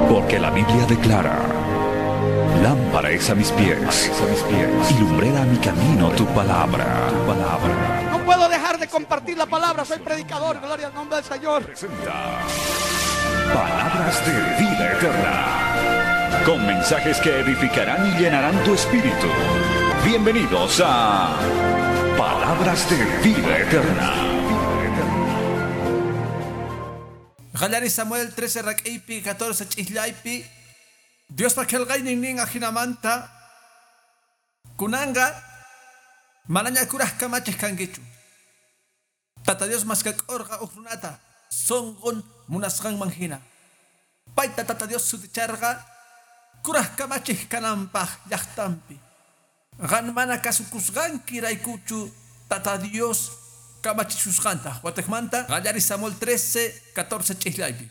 Porque la Biblia declara: lámpara es a mis pies, y lumbrera a mi camino tu palabra. Tu palabra. No puedo dejar de compartir la palabra, soy predicador, gloria al nombre del Señor. Presenta Palabras de Vida Eterna, con mensajes que edificarán y llenarán tu espíritu. Bienvenidos a Palabras de Vida Eterna. Qallari Samuel 13 rak'iypi 14 ch'isllaypi Diospa qillqaynin nin ajinamanta kunanqa manaña kuraj kamachiq kankichu. Tata Dios maskak'urqa uj runata sunqun munasqanman hina. Payta Tata Dios suticharqa kuraj kamachiq kananpaq llaqtanpi. Qan mana kasukusqanki raykuchu Tata Dios kamachisusqanta. Watikmanta qallari Samuel 13 14 ch'isllaypi.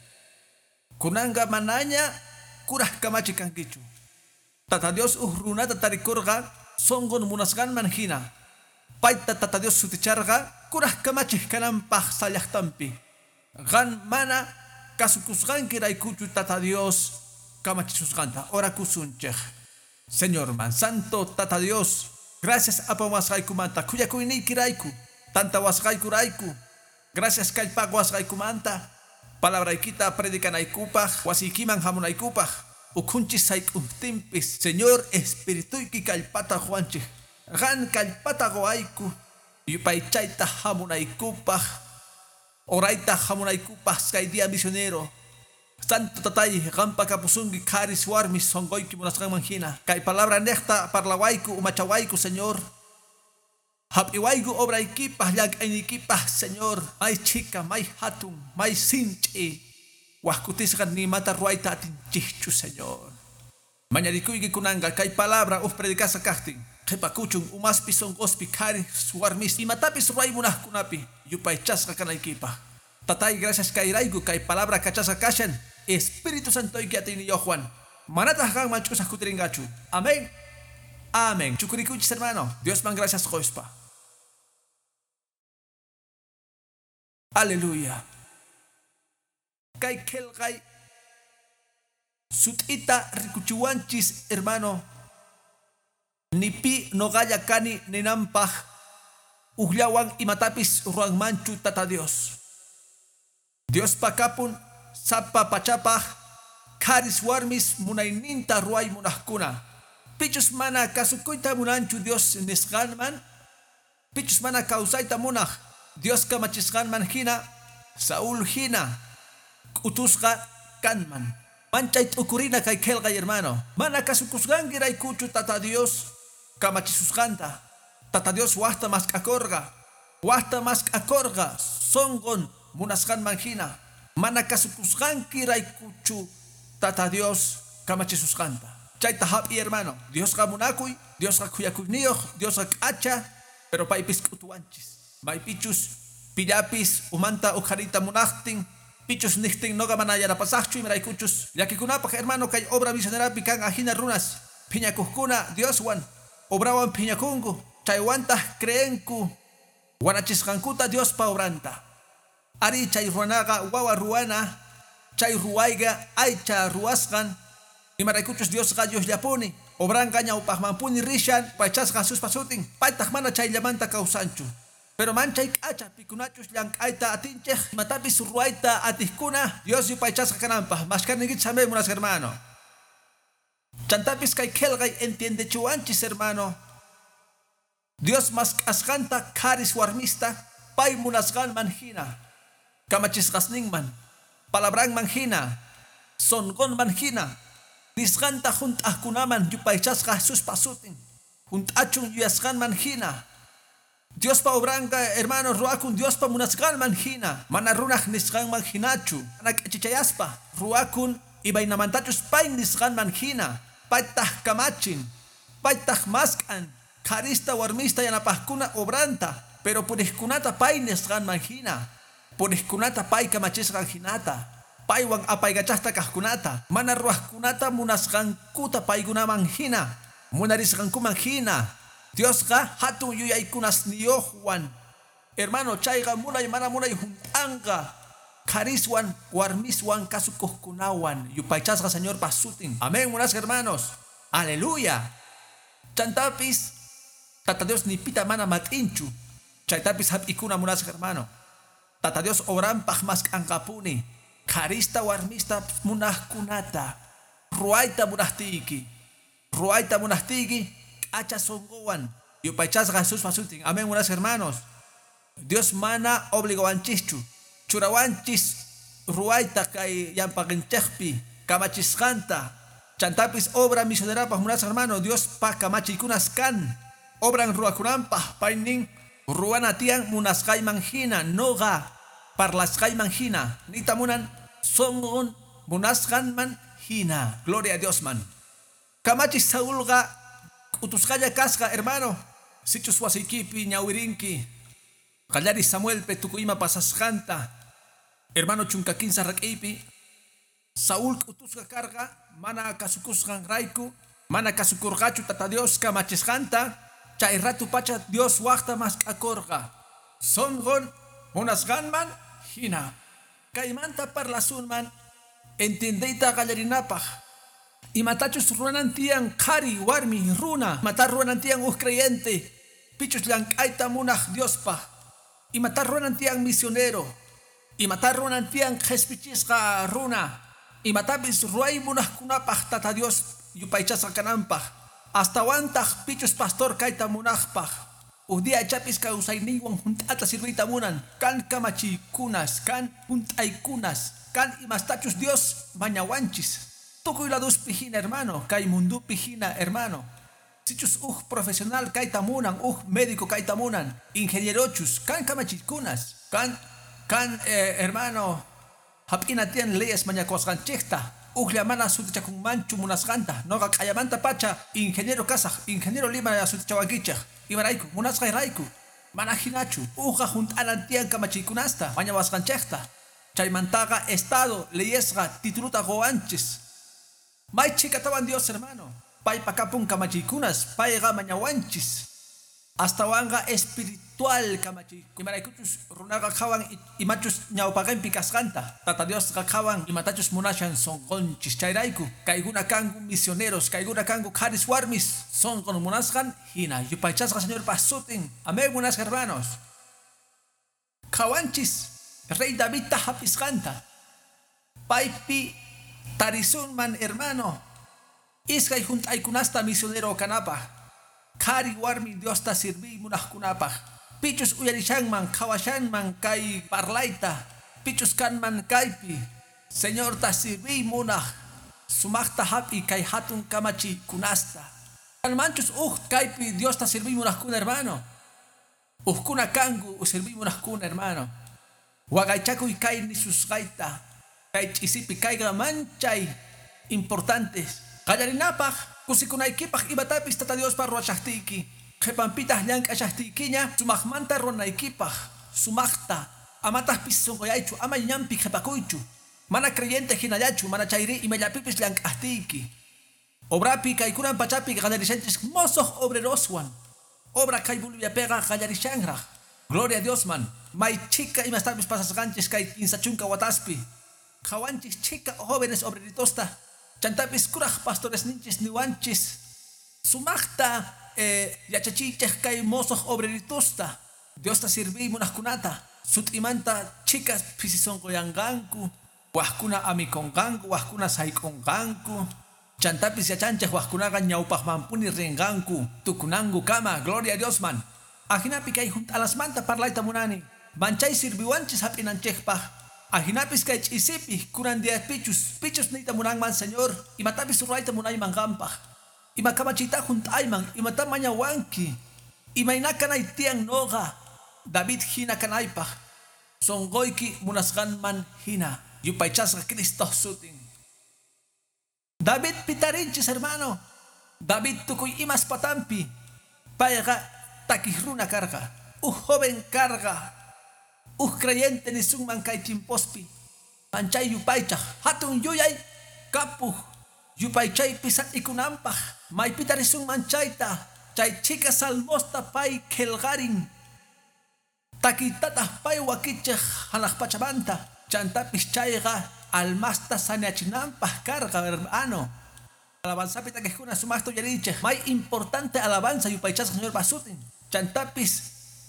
Kunanqa manaña kuraj kamachi kankichu. Tata Dios uj runata tarikurqa sunqun munasqanman hina. Payta Tata Dios suticharqa kuraj kamachiq kananpaq sallaqtanpi. Qan mana kasukusqanki raykuchu Tata Dios kamachisusqanta. Orakusunchik. Señor man santo Tata Dios, gracias apamasqaykumanta khuyakuyniyki rayku, tantawasqayku rayku. Gracias kallpaqwasqaykumanta, palabraykita predicanaykupaq, wasiykiman hamunaykupaq, ukhunchis sayk'uptinpis, Señor Espirituyki kallpata quwanchik. Qan kallpata quwayku, yupaychayta hamunaykupaq, orayta hamunaykupaq kay día misionero. Santo tatay, qampa kapusunki qharis warmis sunquyki munasqanman hina. Kay palabra niqta parlawayku umachawayku, Señor. Hap'iwayku obraykipaq llank'ayniykipaq, Señor. May chhika, may hatun, may sinch'i. Wajkutisqa nimata ruwayta atinchikchu, Señor. Mañarikuyki kunanqa kay palabra uj predicasqa kaqtin. Qhipakuchun umaspi sunquspi qharis warmis imatapis ruway munaqkunapi yupaychasqa kanaykipaq. Tatay, gracias kayrayku kay palabra kachasqa kashan Espíritu Santoyki atiyniyuqwan. Manataq qanman ch'usaq kutirinqachu. Amén. Amén. Chukurikuychis, hermano. Diosman gracias quspa. Aleluya. Kay qillqay sut'ita rikuchiwanchis, hermano. Ni pi noqalla kani ninanpaq ujllawan imatapis ruwanmanchu Tata Dios. Diospa kapun sapa pachapaq qharis warmis munayninta ruway munaqkuna. Pichus mana kasukuyta munanchu Dios nisqanman, pichus mana kawsayta munaq Dios kamachisqanman hina, Saúl hina k'utusqa kanman. Manchay t'ukurina kay qillqay, hermano. Mana kasukusqanki raykuchu Tata Dios kamachisusqanta. Tata Dios waqta mask'akurqa, waqta mask'akurqa sunqun munasqanman hina. Mana kasukusqanki raykuchu Tata Dios kamachisusqanta. Chayta hap'i, hermano. Diosqa munakuy, Diosqa khuyakuyniyuq, Diosqa k'acha, pero paypis k'utuwanchis. Maypichus pillapis umanta uqhariyta munaqtin, pichus niqtin noqa mana yanapasaqchu imaraykuchus. Llakikunapaq, hermano, kay obra misionerapi kan ajina runas phiñakuqkuna Dioswan obrawan phiñakunku, chaywantaq creenku wanachisqankuta Diospa obranta. Ari chay ruwanaqa wawa ruwana, chay ruwayqa aycha ruwasqan, imaraykuchus Diosqa Diosllapuni, obranqa ñawpaqmanpuni rishan, paychasqa Jesuspa sutin, paytaq mana chayllamanta kawsanchu. Pero manchay k'acha pikunachus llank'ayta atinchik, imatapis ruwayta atiqkuna, Dios yupaychasqa kananpaq. Mashkarniykichis amén, munasqa hermano. Chantapis kay qillqay entiendechiwanchis, hermano. Dios mask'asqanta qharis warmista pay munasqanman hina, kamachisqasninman, palabranman hina, sunqunman hina, nisqanta hunt'aqkunaman yupaychasqa Jesuspa sutin, hunt'achun yuyasqanman hina. Diospa obranqa, hermano, ruwakun Diospa munasqanman hina, mana runaq nisqanman hinachu, mana k'achichayaspa ruwakun imaynamantachus pay nisqanman hina, paytaq kamachin, paytaq mask'an, qharista warmista yanapaqkuna obranta, pero puriqkunata pay nisqanman hina, puriqkunata pay kamachisqan hinata, paywan apaykachaqta kaqkunata, mana ruwaqkunata munasqankuta paykunaman hina, munarisqankuman hina. Diosqa hatun yuyaykunasniyuqwan Hermano, chayqa munay mana munay hunt'anqa. Qhariswan warmiswan kasukuqkunawan yupaychasqa Señorpa sutin. Amén, munasqa hermanos. Aleluya. Chantapis Tata Dios ni pita mana mat'inchu. Chaytapis hap'ikuna munasqa hermano. Tata Dios obranpaq mask'anqapuni. Qharista warmista munaqkunata. Ruwayta munaqtiyki. Ruwayta munaqtiyki k'acha sunquwan. Yupaychasqa Jesuspa sutin. Amén, munasqa hermanos. Dios mana obligawanchischu. Churawanchis ruwayta kay llampaqinchikpi kamachisqanta. Chantapis obra misionerapaq munasqa hermano. Diospa kamachiykunas kan. Obran ruwakunanpaq paynin ruwana tiyan munasqayman hina nuqa parlasqayman hina. Niyta munan sunqun munasqanman hina. Gloria a Diosman. Kamachis Saulqa k'utusqalla kasqa hermano. Sichus wasiykipi ñawirinki. Qallari Samuelpi tukuy ima pasasqanta. Hermano 13 rak'iypi Saúl k'utusqa karqa mana kasukusqanrayku, mana kasukurqachu Tata Dios kamachisqanta, chay ratu pacha Dios waqta mask'akurqa. Sunqun munasqanman hina. Kaymanta parlasunman entiendeyta qallarinapaq. Imatachus ruwanan tiyan qhari warmi runa, imata ruwanan tiyan uj creyente, pichus llank'ayta munaq Diospaq. Imata ruwanan tiyan misionero, imata ruwanan tiyan qhispichisqa runa, imatapis ruway munaqkunapaq Tata Dios yupaychasqa kananpaq. Astawantaq pichus pastor kayta munaqpaq. Uj día ichapis kawsayninwan hunt'ata sirviyta munan, kan kamachiykunas, kan hunt'aykunas, kan imastachus Dios mañawanchis. Tukuy laduspi hina hermano, kay mundupi hina hermano. Sichus uj profesional kayta munan, uj médico kayta munan, ingenierochus, kan kamachiykunas, kan hermano, hap'ina tiyan leyes mañakusqanchikta, ujlla mana sutichakunmanchu munasqanta, noqa q'ayamanta pacha ingeniero kasaq, ingeniero Lima sutichawankichik, imarayku, munasqayrayku, mana hinachu, ujqa hunt'anan tiyan kamachiykunasta, mañawasqanchikta, chaymantaqa estado leyesqa tituluta quwanchis. May chhikatawan Dios hermano. Paypa kapun kamachiykunas, payqa mañawanchis. Astawanqa espiritual kamachiyku. Imaraykuchus runaqa qhawan imachus ñawpaqinpi kasqanta. Tata Diosqa qhawan imatachus munashan sunqunchis. Chayrayku kaykuna kanku misioneros, kaykuna kanku qharis warmis sunqun munasqan hina. Yupaychasqa Señorpa sutin. Amén, munasqa hermanos. Qhawanchis Rey Davidta hap'isqanta. Paypi tarisunman hermano. Iskay hunt'aykunasta misionero kanapaq. Qhari warmi Diosta sirviy munaqkunapaq. Pichus uyarishanman, qhawashanman kay parlayta. Pichus kanman kaypi. Señorta sirviy munaq. Sumaqta hap'i kay hatun kamachiykunasta. Kanmanchus uj kaypi Diosta sirviy munaqkuna hermano. Ujkuna kanku sirviy munaqkuna hermano. Waqaychakuy kay nisusqayta. Kay ch'isipi kayqa manchay importantes. Qallarinapaq kusikunaykipaq imatapis Tata Diospa ruwashaqtiyki. Qhipanpitaq llank'ashaqtiykiña sumaqmanta ruwanaykipaq. Sumaqta amataqpis sunquyaychu, ama ñanpi qhipakuychu. Mana creyente hinallachu, mana chayri imallapipis llank'aqtiyki. Obrapi kaykunan pachapi qallarishanchis mosoq obreroswan. Obra kay Boliviapiqa qallarishanraq. Gloria a Diosman. May chhika imastapis pasasqanchis kay 30 wataspi. Qhawanchis chhika jóvenes obreritosta. Chantapis kuraj pastores ninchis niwanchis. Sumaqta yachachiychej kay mosoq obreritosta. Diosta sirviy munaqkunata. Sut'imanta chhikas pisisunquyanqanku. Wajkuna amikunqanku, wajkuna sayk'unqanku. Chantapis yachanchej wajkunaqa ñawpaqmanpuni rinqanku. Tukunanku kama, gloria a Diosman. Ajinapi kay hunt'alasmanta parlayta munani. Manchay sirviwanchis hap'inanchikpaq. Ajinapis kay ch'isipi kunan diapichus pichus niyta munanman Señor, imatapis ruwayta munayman qanpaq. Ima kamachiyta hunt'ayman, imata mañawanki. Imayna kanay tiyan noqa, David hina kanaypaq. Sunquyki munasqanman hina. Yupaychasqa Cristo sutin. David pitarinchis hermano. David tukuy imas patampi. Payqa takiq runa karqa. Uj joven karqa. Uj creyente nisunman kay chimpospi. Manchay yupaychaq. Hatun yuyay kapuj. Yupaychaypi sat'ikunanpaq. Maypita risunman chayta. Chay chhika salmosta pay qillqarin. Takiytataq pay wakichiq hanaq pachamanta. Chantapis chayqa almasta saneachinanpaq karqa, hermano. Alabanzapi takiqkuna sumaqta uyariychik. May importante alabanza yupaychasqa Señorpa sutin. Chantapis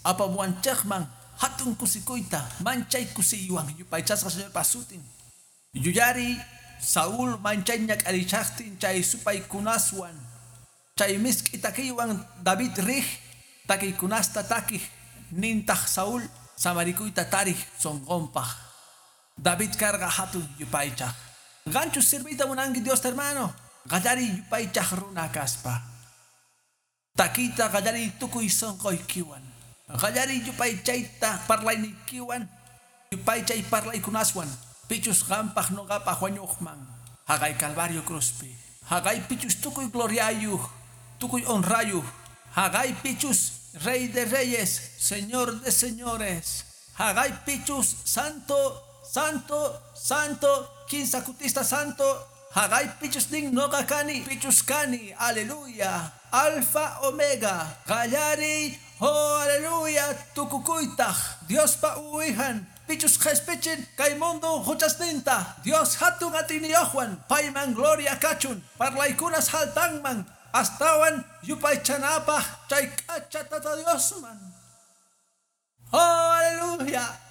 apamuwanchikman hatun kusikuyta, manchay kusiywan yupaychasqa Señorpa sutin. Yuyariy Saúl manchay ñak'arishaqtin chay supaykunaswan. Chay misk'i takiywan David riq takiykunasta takiq nintaq Saúl samarikuyta tariq sunqunpaq. David karqa hatun yupaychaq. Qanchus sirviyta munanki Diosta, hermano. Qallariy yupaychaq runa kaspa. Takiyta qallariy tukuy sunquykiwan. Qallariy yupaychayta parlayniykiwan, yupaychay parlaykunaswan. Pichus qampaq nuqapaq wañuqman. Haqay Calvario cruzpi. Haqay pichus tukuy gloriayuq, tukuy honrayuq. Haqay pichus Rey de reyes, Señor de señores. Haqay pichus santo, santo, santo, kinsa kutista santo. Haqay pichus nin noqa kani, pichus kani, aleluya. Alfa, omega, qallariy, oh aleluya, tukukuytaq, Diospa uwijan, pichus qhispichin kay mundo huchasninta, Dios hatun atiyniyuqwan, payman gloria kachun, parlaykunas haltanman, astawan yupaychanapaq chay k'acha Tata Diosman. Oh, aleluya.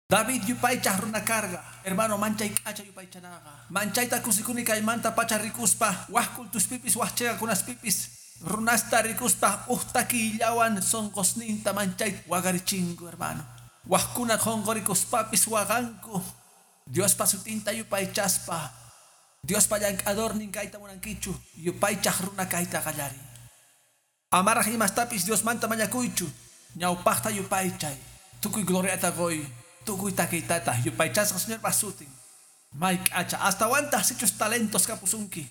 David yupaychaq runa karqa, hermano manchay k'acha yupaychanaqa. Manchayta kusikuni kaymanta pacha rikuspa, wak kultuspipis wak chiqakunaspipis, runasta rikuspa uj takiyllawan sunqusninta manchay waqarichingu, hermano. Wakkuna qunqurikuspapis waqanku, Diospa sutinta yupaychaspa. Diospa llank'adornin kayta munankichu, yupaychaq runa kayta qallariy. Amaraq imastapis Diosmanta mañakuychu, ñawpaqta yupaychay, tukuy gloriata quy, tukuy takiytata yupaychasqa Señorpa sutin. May k'acha astawantaq sichus talentos kapusunki.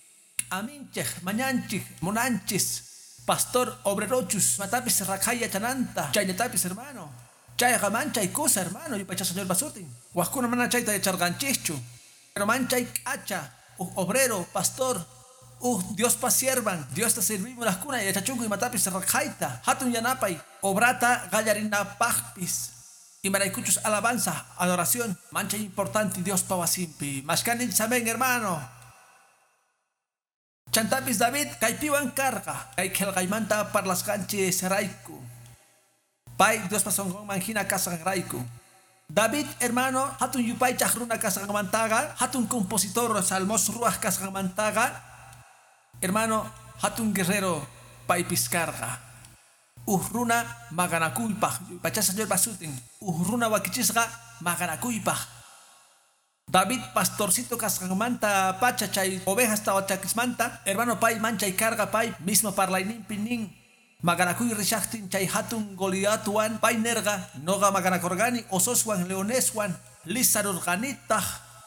Aminchik, mañanchik, munanchis, pastor obrerochus, matapis raqhay yachananta, chayllatapis, hermano. Chayqa manchay kusa, hermano, yupaychasqa Señorpa sutin. Wakkuna mana chayta yacharqanchikchu, pero manchay k'acha, uj obrero, pastor, uj Diospa siervan, Diosta servimos laskuna yachachunku imatapis raqhayta, hatun yanapay, obrata qallarinapaqpis. Imaraykuchus alabanza, adoración, manchay importante Diospa wasinpi. Mashkaninchis amén, hermano. Chantapis David kaypiwan karqa, kay qillqaymanta parlasqanchis rayku. Pay Diospa sunqunman hina kasqanrayku. David, hermano, hatun yupaychaq runa kasqanmantaqa, hatun compositor salmos ruwaq kasqanmantaqa, hermano, hatun guerrero paypis karqa. Uj runa maqanakuypaq, yupaychasqa Señorpa sutin, uj runa wakichisqa maqanakuypaq. David pastorcito kasqanmanta pacha chay ovejas tawachakismanta, hermano, pay manchay karqa, pay mismo parlayninpi nin. Maqanakuy rishaqtin chay hatun Goliatwan, pay nerqa, noqa maqanakurqani ososwan leoneswan, lisarurqanitaq.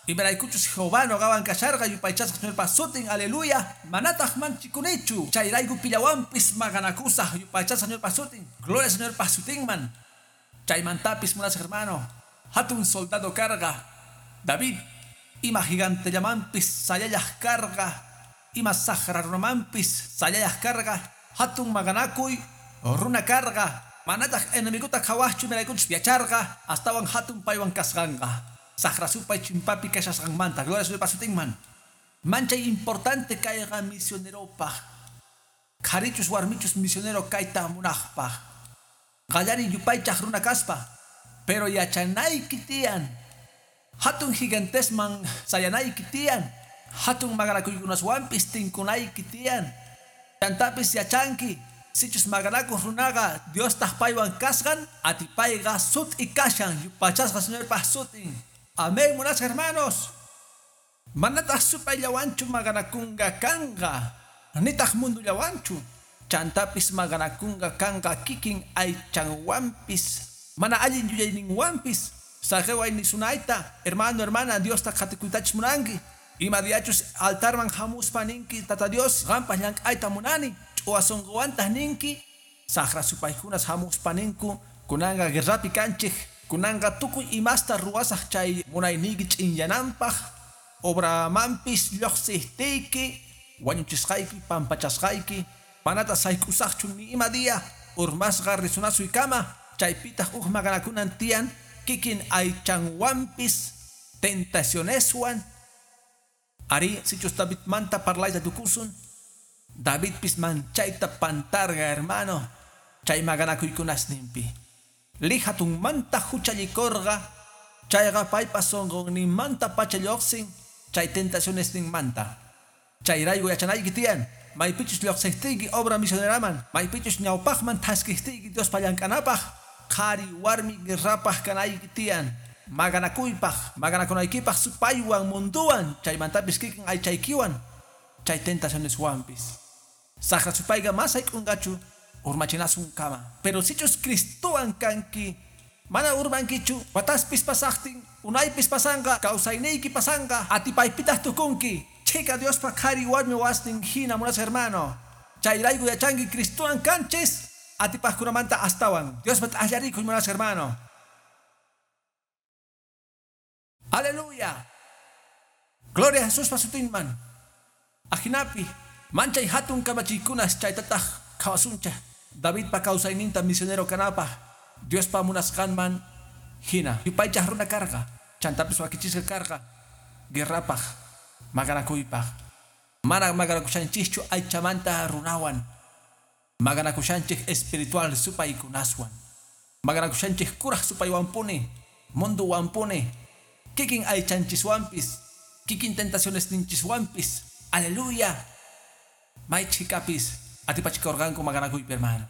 Imaraykuchus Jehová noqawan kasharqa, yupaychasqa Señorpa sutin, aleluya, manataq manchikunichu. Chayrayku pillawanpis maqanakusaq, yupaychasqa Señorpa sutin, gloria Señorpa sutinman. Chaymantapis munasqa hermano, hatun soldado karqa David, ima gigantellamanpis sayallaq karqa, ima saqra runamanpis sayallaq karqa, hatun maqanakuy runa karqa, manataq enemiguta qhawaqchu, imaraykuchus yacharqa, astawan hatun paywan kasqanqa. Saqra supay chimpapi kashasqanmanta, gloria Señorpa sutinman. Manchay importante kayqa misioneropaq. Qharichus warmichus misionero kayta munaqpaq. Qallariy yupaychaq runa kaspa, pero yachanayki tiyan. Hatun gigantesman sayanayki tiyan. Hatun maqanakuykunaswanpis tinkunayki tiyan. Chantapis yachanki, sichus maqanakuq runaqa Diostaq paywan kasqan, atipayqa sut'i kashan, yupaychasqa Señorpa sutin. Amén, munasqa hermanos. Manataq supayllawanchu maqanakunqa kanqa, nitaq mundullawanchu. Chantapis maqanakunqa kanqa kikin aychanwanpis, mana allin yuyayninwanpis. Saqiway nisunayta, hermano, hermana, Diosta qhatikuytachis munanki. Ima diachus altarman hamuspa ninki, Tata Dios, qanpaq llank'ayta munani. Ch'uwa sunquwantaq ninki, saqra supaykunas hamuspa ninku, kunanqa guerrapi kanchik, kunanqa tukuy imasta ruwasaq chay munayniyki ch'inyananpaq, obramanpis lluqsiqtiyki, wañuchisqayki, pampachasqayki, manata sayk'usaqchu ni ima día. Urmasqa risunasuykama, chaypitaq uj maqanakunan tiyan kikin aychanwampis tentacioneswan. Arí, sichus Davidmanta parlayta tukusun, Davidpis manchayta pantarqa, hermano, chay maqanakuykunasninpi. Lijatunmanta juchallikorqa, chayqa paypa sunqunninmantapacha lluqsin chay tentacionesninmanta. Chayrayku yachanayki tiyan, maypichus lluqsiqtiyki obra misioneraman, maypichus ñawpaqman thaskiqtiyki Diospa llank'anapaq, qhari warmi guerrapaq kanayki tiyan, maqanakuypaq, maqanakunaykipaq supaywan, munduwan, chaymantapis kikin aychaykiwan, chay tentacioneswanpis. Saqra supayqa ma sayk'unqachu urmachinasunkama. Pero sichus Cristowan kanki, mana urmankichu, wataspis pasaqtin, unaypis pasanqa, kawsayniyki pasanqa, atipaypitaq tukunki. Chhika Diospa qhari warmi wasnin hina munasqa hermano. Chayrayku yachanki Cristowan kanchis, atipaqkunamanta astawan. Diospa t'aqllarikuy munasqa hermano. Aleluya. Gloria a Jesuspa sutinman. Ajinapi, manchay hatun kamachiykunas chaytataq qhawasunchik. Davidpa kawsayninta misionero kanapaq Diospa munasqanman hina. Yupaychaq runa karqa, chantapis wakichisqa karqa guerrapaq, maqanakuypaq. Mana maqanakushanchikchu aychamanta runawan. Maqanakushanchik espiritual supaykunaswan. Maqanakushanchik kuraq supaywanpuni, munduwanpuni, kikin aychanchiswanpis, kikin tentacionesninchiswanpis. Aleluya. May chhikapis atipachikurqanku maqanakuypi, hermano.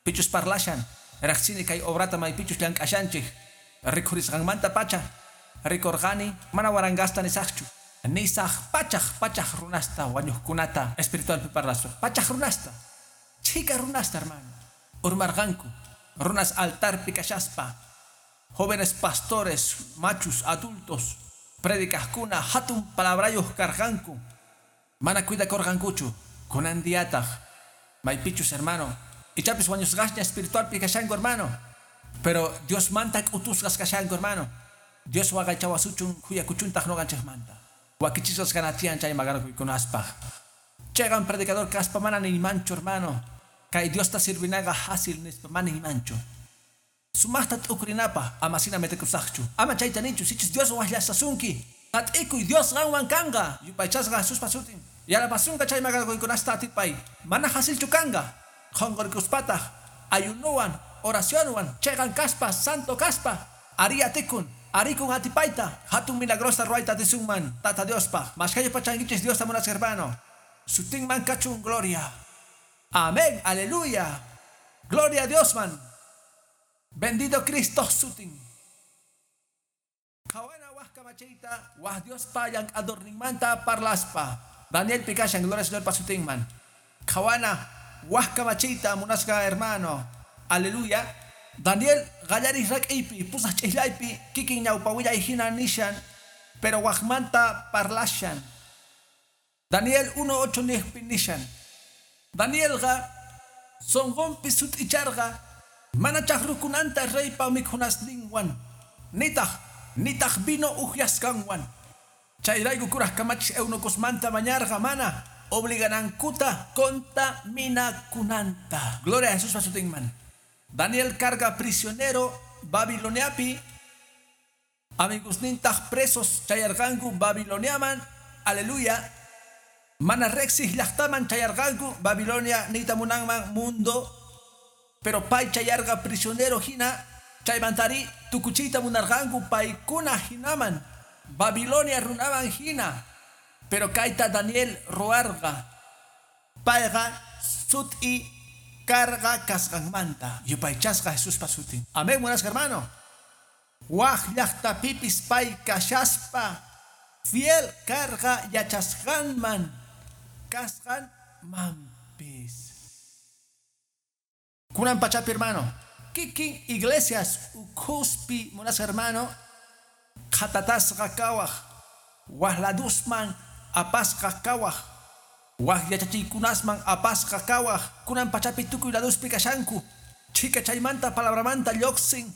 Pichus parlashan, riqsini kay obrata maypichus llank'ashanchik, rikhurisqanmanta pacha, rikurqani mana warangasta nisaqchu, nisaq pachaq pachaq runasta wañuqkunata espiritualpi parlaspa, pachaq runasta, chhika runasta, hermano. Urmarqanku, runas altarpi kashaspa, jóvenes pastores, machus, adultos, predicaqkuna hatun palabrayuq karqanku, mana cuidakurqankuchu, kunan diataq, maypichus, hermano, ichapis wañusqasña espiritualpi kashanku, hermano, pero Diosmanta k'utusqas kashanku, hermano. Dios waqaychawasuchun khuyakuchuntaq ñuqanchikmanta. Wakichisqas kanatiyan chay maqanakuykunaspaq. Chiqan predicador kaspa mana niymanchu, hermano. Kay Diosta sirvinaqa fácil nispa mana niymanchu. Sumaqta t'ukurinapaq ama sina metikusaqchu. Ama chayta nichu, sichus Dios waqllasasunki. Qat'ikuy Dios qanwan kanqa. Yupaychasqa Jesuspa sutin. Yanapasunqa chay maqanakuykunasta atipay. Mana facilchu kanqa. Qhunqurikuspataq ayunuwan, oracionwan, chiqan kaspa, santo kaspa, ari atikun, arikun atipayta, hatun milagrosta ruwayta atisunman, Tata Diospaq. Mashkhayu pachankichis Diosta munasqa hermano. Sutinman kachun gloria. Amén, aleluya. Gloria a Diosman. Bendito Cristo sutin. Qhawana waj kamachiyta, waj Diospa llank'adorninmanta parlaspa. Daniel Pikashan, gloria al Señor pa sutinman. Qhawana waj kamachiyta munasqa hermano. Aleluya. Daniel qallaris rak'iypi, pusaq ch'ijllaypi, kikin ñawpawillay hina nishan, pero wajmanta parlashan. Daniel 1:8 niqpi nishan. Danielqa sunqunpi sut'icharqa mana chaqrukunanta reypa mikhunasninwan, nitaq vino upyasqanwan. Chayrayku kuraq kamachis eunucosmanta mañarqa mana obliganankuta contaminakunanta. Gloria a Jesús pa sutinman. Daniel karqa prisionero Babiloniapi, amigosnintaq presos chayarqanku Babiloniaman, aleluya. Mana riqsiq llaqtaman chayarqanku Babilonia niyta munanman mundo, pero pay chayarqa prisionero hina, chaymantari tukuchiyta munarqanku paykuna hinaman, Babilonia runaman hina. Pero kayta Daniel ruwarqa, payqa sut'i karqa kasqanmanta. Yupaychasqa Jesuspa sutin. Amén, munasqa hermano. Waj llaqtapipis pay kashaspa fiel karqa yachasqanman kasqanmanpis. Kunan pachapi, hermano. Kikin iglesias ukhuspi munasqa hermano, qhatatasqa kawaq, waj ladusman apasqa kawaq, waj yachachiykunasman apasqa kawaq, kunan pachapi tukuy laduspi kashanku, chhika chaymanta palabramanta lluqsin,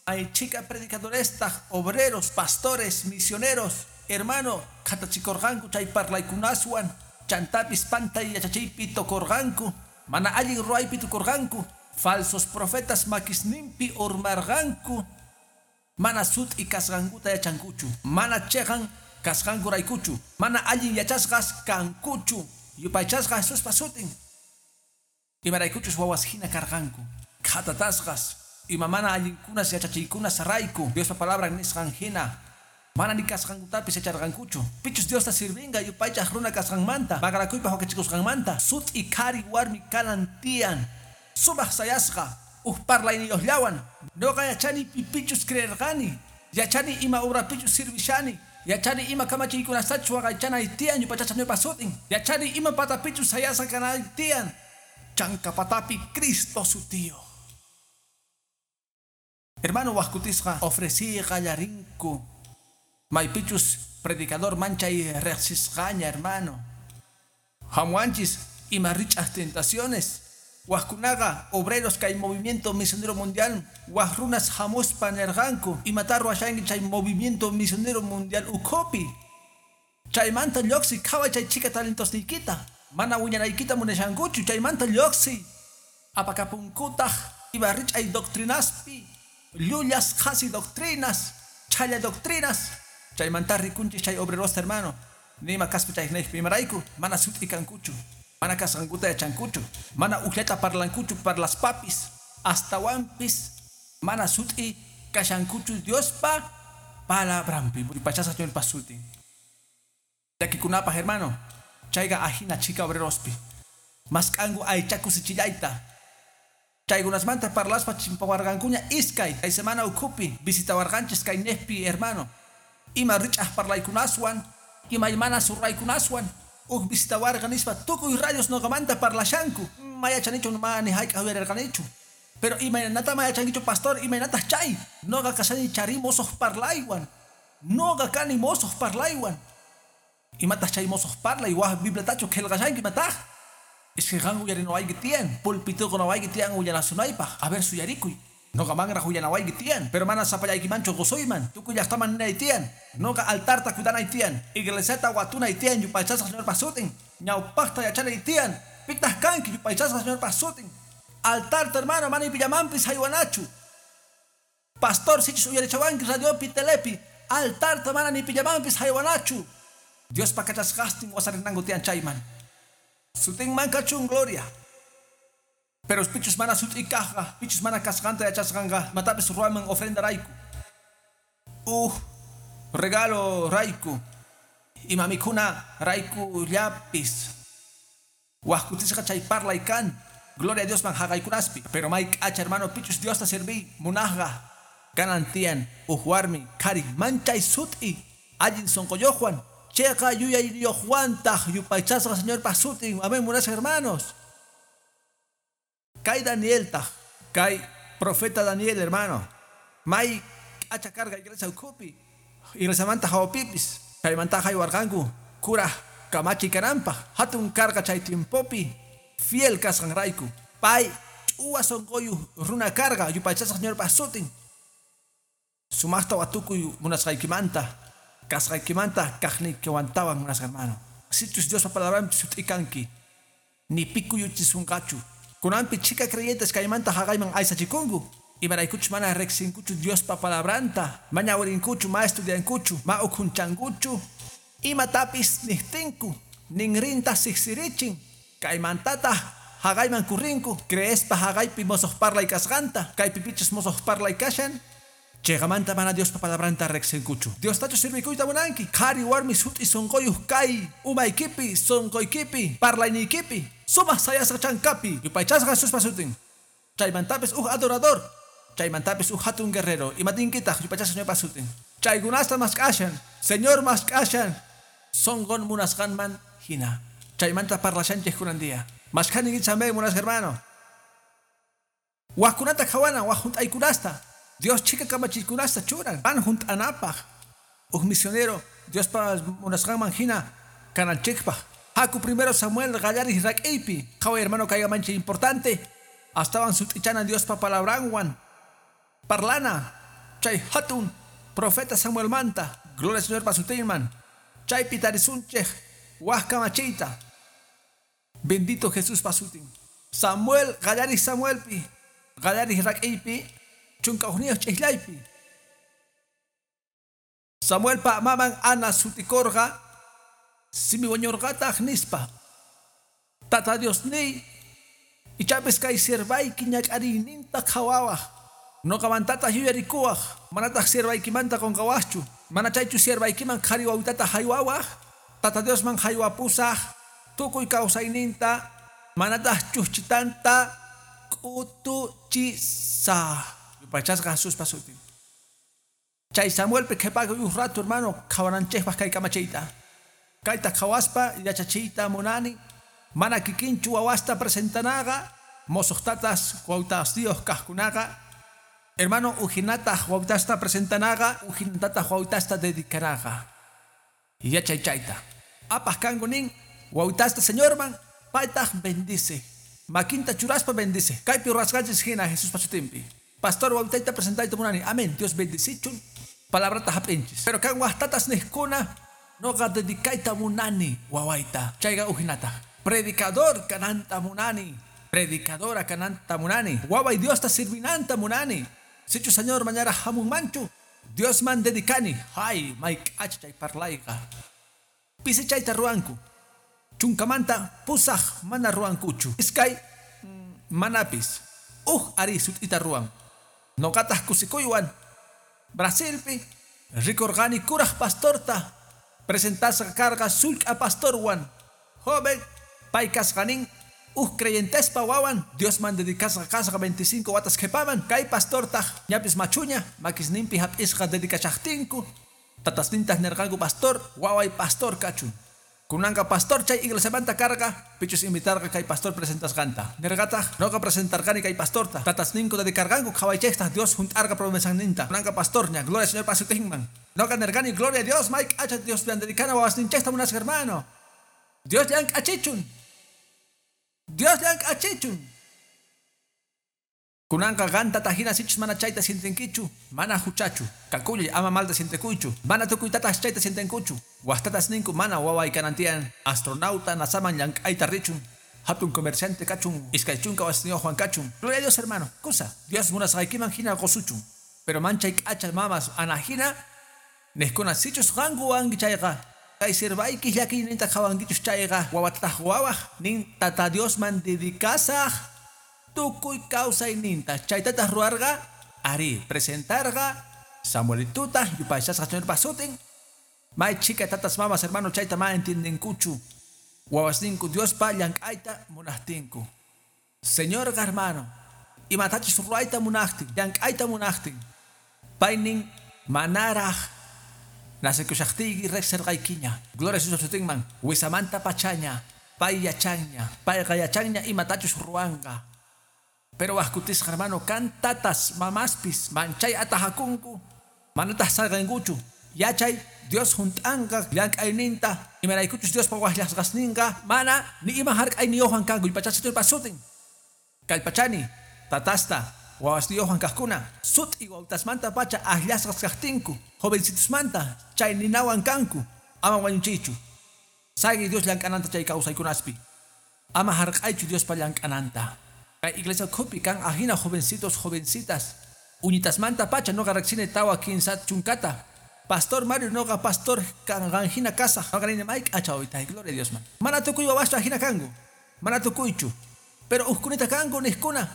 hay chhika predicadorestaq, obreros, pastores, misioneros, hermano, qhatachikurqanku chay parlaykunaswan, chantapis pantay yachachiypi tukurqanku, mana allin ruwaypi tukurqanku, Falsos profetas makisnimpi urmarqanku, mana sut'i kasqankuta yachankuchu, mana cheqan kasqankuraykuchu, mana allin yachasqas kankuchu, yupaychasqa Jesuspa sutin. Imaraykuchus wawas jina karqanku, khatatasqas, ima mana allinkunas yachachiykunas rayku, Diospa palabran nisqan jina, mana ni kasqankutapis yacharqankuchu. Pichus Diosta sirvinqa yupaychaq runa kasqanmanta, maqanakuypaq wakichikusqanmanta, sut'i qhari warmi kanan tiyan, sumaq sayasqa, uj parlayniyuqllawan. Noqa yachani pipichus creerqani, yachani ima obrapichus sirvishani, yachani ima kamachiykunastachus waqaychanay tiyan yupaychasqa Señorpa sutin, yachani ima patapichus sayasqa kanay tiyan, chanka patapi Cristo sutiyuq. Hermano, waqkutisqa ofreciy qallarinku, maypichus predicador manchay riqsisqaña, hermano. Hamuwanchis ima rich'aq tentaciones. Waqkunaqa obreros kay movimiento misionero mundial waq runas hamuspa nirqanku, imata ruwashanki chay movimiento misionero mundial ukhupi? Chaymanta lluqsiy, qhaway chay chhika talentosniykita, mana wiñanaykita munashankuchu, chaymanta lluqsiy. Apakapunkutaq ima rich'ay doctrinaspi, llullas qhasi doctrinas, chhalla doctrinas. Chaymanta rikunchis chay obrerosta, hermano, nima kaspa chaynejpi, imarayku mana sut'i kankuchu, mana kasqankuta yachankuchu, mana ujllata parlankuchu parlaspapis, astawanpis mana sut'i kashankuchu Diospa palabranpi. Yupaychasqa Señorpa sutin. Llakikunapaq, hermano, chayqa ajina chhika obrerospi. Mask'anku aycha kusichillayta. Chaykunasmanta parlaspa chimpawarqankuña iskay kay semana ukhupi visitawarqanchis kaynejpi, hermano. Ima rich'aq parlaykunaswan, imaymana surraykunaswan, uj visitawarqa nispa tukuy radios noqamanta parlashanku. Ma yachanichu, ma ni hayk'aq uyarirqanichu. Pero imaynata ma yachankichu, pastor, imaynataq chay? Noqa kashani chari mosoq parlaywan. Noqa kani mosoq parlaywan. Imataq chay mosoq parlay, waj Bibliatachu qillqashanki imataq? Iskay qan uyarinawayki tiyan, pulpituqa nawayki tiyan willanasunaypaq. A ver, suyarikuy. Noqamanraq willanawayki tiyan, pero mana sapallaykimanchu qusuyman, tukuy llaqtaman ninay tiyan. Noqa altarta cuidanay tiyan, iglesiata watunay tiyan, yupaychasqa Señorpa sutin. Ñawpaqta yachanay tiyan, pitaq kanki, yupaychasqa Señorpa sutin. Altarta, hermano, mana pillamanpis haywanachu. Pastor, sichus uyarichawanki radiopi, telepi, altarta mana ni pillamanpis haywanachu. Diospa kachasqastin wasarinanku tiyan chayman. Sutinman kachun gloria. Pero pichus mana sut'i kaqqa, pichus mana kasqanta yachasqanqa, matapis ruwayman ofrenda rayku. Uj regalo rayku. Ima mikhuna rayku llapis. Waqkutisqa chay parlay kan. Gloria a Dios man haqaykunaspi. Pero may k'acha, hermano, pichus Diosta serví munaqqa. Kanan tiyan uj warmi qhari manchay sut'i allin sunquyuqwan, chiqa yuyayniyuqwantaq, yupaychasqa Señorpa sutin. Amén, munasqa hermanos. Kay Danieltaq, kay profeta Daniel, hermano. May k'acha karqa iglesia ukhupi, iglesiamanta hawapipis. Chaymanta haywarqanku kuraj kamachi kananpaq, hatun karqa chay tiempopi, fiel kasqanrayku. Pay ch'uwa sunquyuq runa karqa, yupaychasqa Señorpa sutin. Sumaqta watukuy munasqaykimanta, kasqaykimanta kaqniykiwantawan, munasqa hermano. Sichus Diospa palabranpi sut'i kanki, ni pi kuyuchisunqachu. Kunanpi chhika creyentes kaymanta haqayman aysachikunku. Imaraykuchus mana riqsinkuchu Diospa palabranta, ma ñawirinkuchu, ma estudiankuchu, ma ukhunchankuchu. Imatapis niqtinku, ninrinta siqsirichin. Kaymantataq haqayman kurrinku, creespa haqaypi mosoq parlay kasqanta, kaypi pichus mosoq parlay kashan. Chiqamanta mana Diospa palabranta riqsinkuchu. Diostachu sirvikuyta munanki, qhari warmi sut'i sunquyuq kay, umaykipi, sunquykipi, parlayniykipi, sumaq sayasqa chankapi, yupaychasqa Jesuspa sutin. Chaymantapis uj adorador, chaymantapis uj hatun guerrero, imatinkitaq, yupaychasqa Señorpa sutin. Chaykunasta mask'ashan, Señor mask'ashan, sunqun munasqanman hina. Chaymanta parlashanchik kunan día. Mask'ani amén, munasqa hermano. Waqkunata qhawana, waq hunt'aykunasta. Dios chhika kamachiykunasta churan, pan hunt'anapaq. Uj misionero, Diospa munasqanman hina kananchikpaq. Haku primero Samuel qallariq rak'iypi. Qhaway, hermano, kayqa manchay importante. Astawan sut'ichana Diospa palabranwan. Parlana chay hatun profeta Samuelmanta. Gloria al Señorpa sutinman. Chaypi tarisunchik waj kamachiyta. Bendito Jesuspa sutin. Samuel qallariq Samuelpi. Qallariq rak'iypi 11 ch'ijllaypi. Samuelpa maman Ana sutikurqa simi wañurqataq nispa. Tata Diosniy ichapis kay siervayki ñak'ariyninta qhawawaq. Nuqamantataq yuyarikuwaq, manataq siervaykimanta qunqawaqchu. Mana chaychu siervaykiman qhari wawitata haywawaq. Tata Diosman haywapusaq tukuy kawsayninta manataq chuchitanta k'utuchisaq. Yupaychasqa Jesuspa sutin. Chay Samuelpi qhipakuy uj rato hermano qhawananchikpaq kay kamachiyta. Kayta qhawaspa yachachiyta munani. Mana kikinchu wawasta presentanaqa mosuqtatas wawitasniyuq kaqkunaqa. Hermano ujinataq wawitasta presentanaqa ujinatataq wawitasta dedicanaqa. Yachay chayta. Apaq kanku nin wawitasta Señorman paytaq bendice. Makinta churaspa bendice. Kaypi ruwasqanchis hina Jesuspa sutinpi. Pastor wawitayta presentayta munani. Amén. Dios bendicichun. Palabrata hap'inchis. Pero kan waqtatas niqkuna noqa dedicayta munani wawayta. Chayqa ujinataq. Predicador kananta munani. Predicadora kananta munani. Waway Diosta sirvinanta munani. Sichu Señor mañara hamunmanchu. Diosman dedicani. Hay, may k'acha chay parlayqa. Pisi chayta ruwanku. Chunkamanta pusaq mana ruwankuchu. Iskay manapis. Uj ari sut'ita ruwan. Nuqataq kusikuywan. Brasilpi rikurqani kuraq pastorta presentasqa karqa sullk'a pastorwan. Joven pay kasqanin uj creyentespa wawan Diosman dedicasqa kasqa 25 watas qhipaman kay pastortaq ñapis machuña makisninpi hap'isqa dedicachaqtinku tatasnintaq nirqanku pastor waway pastor kachun. Kunanqa pastor chay iglesiamanta karqa pichus invitarqa kay pastor presentasqanta. Nirqataq noqa presentarqani kay pastorta. Tatasninku dedicarqanku qhawaychikta Dios hunt'arqa promesanninta. Kunanqa pastorña gloria Señor pasutinman. Noqa nirqani gloria a Dios may k'acha Dios dedicana wawasninchikta munasqa hermano. Dios llank'achichun. Dios llank'achichun. Kunanqa qanta tajina sichus mana chayta sientenkichu, mana huchachu. Kakullay ama malta sientekuychu. Mana tukuytataq chayta sientenkuchu. Waqtatas ninku mana waway kanantian. Astronauta nasaman llank'ayta richun. Hatun comerciante kachun. Iskay chunka wasniyuqwan kachun. Gloria a Dios hermano. Kusa. Dios munasqaykiman hina qusuchun. Pero manchay k'acha mamas anahina niqkuna sichus qanku wanki chayqa. Kay sirvayki llakiyninta qhawankichus chayqa. Wawatataq wawaq nin tata Diosman dedicasaq. Tukuy kawsayninta chaytataq ruwarqa ari presentarqa Samuelituta yupaychasqa Señorpa sutin. May chika tatas mamas hermano chayta ma entiendenkuchu. Wawasninku Diospa llank'ayta munaqtinku. Señorqa hermano imatachus ruwayta munaqtin llank'ayta munaqtin paynin manaraq nasikushaqtiyki riqsirqaykiña. Gloria a Jesús sutinman wisamanta pachaña pay yachanña payqa yachanña imatachus ruwanqa. Pero waqkutisqa hermano kan tatas mamaspis manchay atajakunku manataq salqankuchu. Yachay Dios hunt'anqa llank'ayninta imaraykuchus Diospa waqllasqasninqa mana ni ima hark'ayniyuqwan kanku yupaychasqa Señorpa sutin. Kallpachani tatasta wawasniyuqwan kaqkuna sut'i wawtasmanta pacha akllasqas kaqtinku jovencitusmanta chay ninawan kanku ama wañuchiychu. Sayki Dios llank'ananta chay kawsaykunaspi. Ama hark'aychu Diospa llank'ananta. Kay iglesia ukhupi kan ajina jovencitos jovencitas uñitasmanta pacha noqa riqsini tawa kinsa chunkata. Pastor Mario noqa pastor kanqanjina kasaq noqa nini may k'acha wawitay gloria a Dios man. Mana tukuy wawaschu ajina kanku mana tukuychu pero ujkunita kanku niqkuna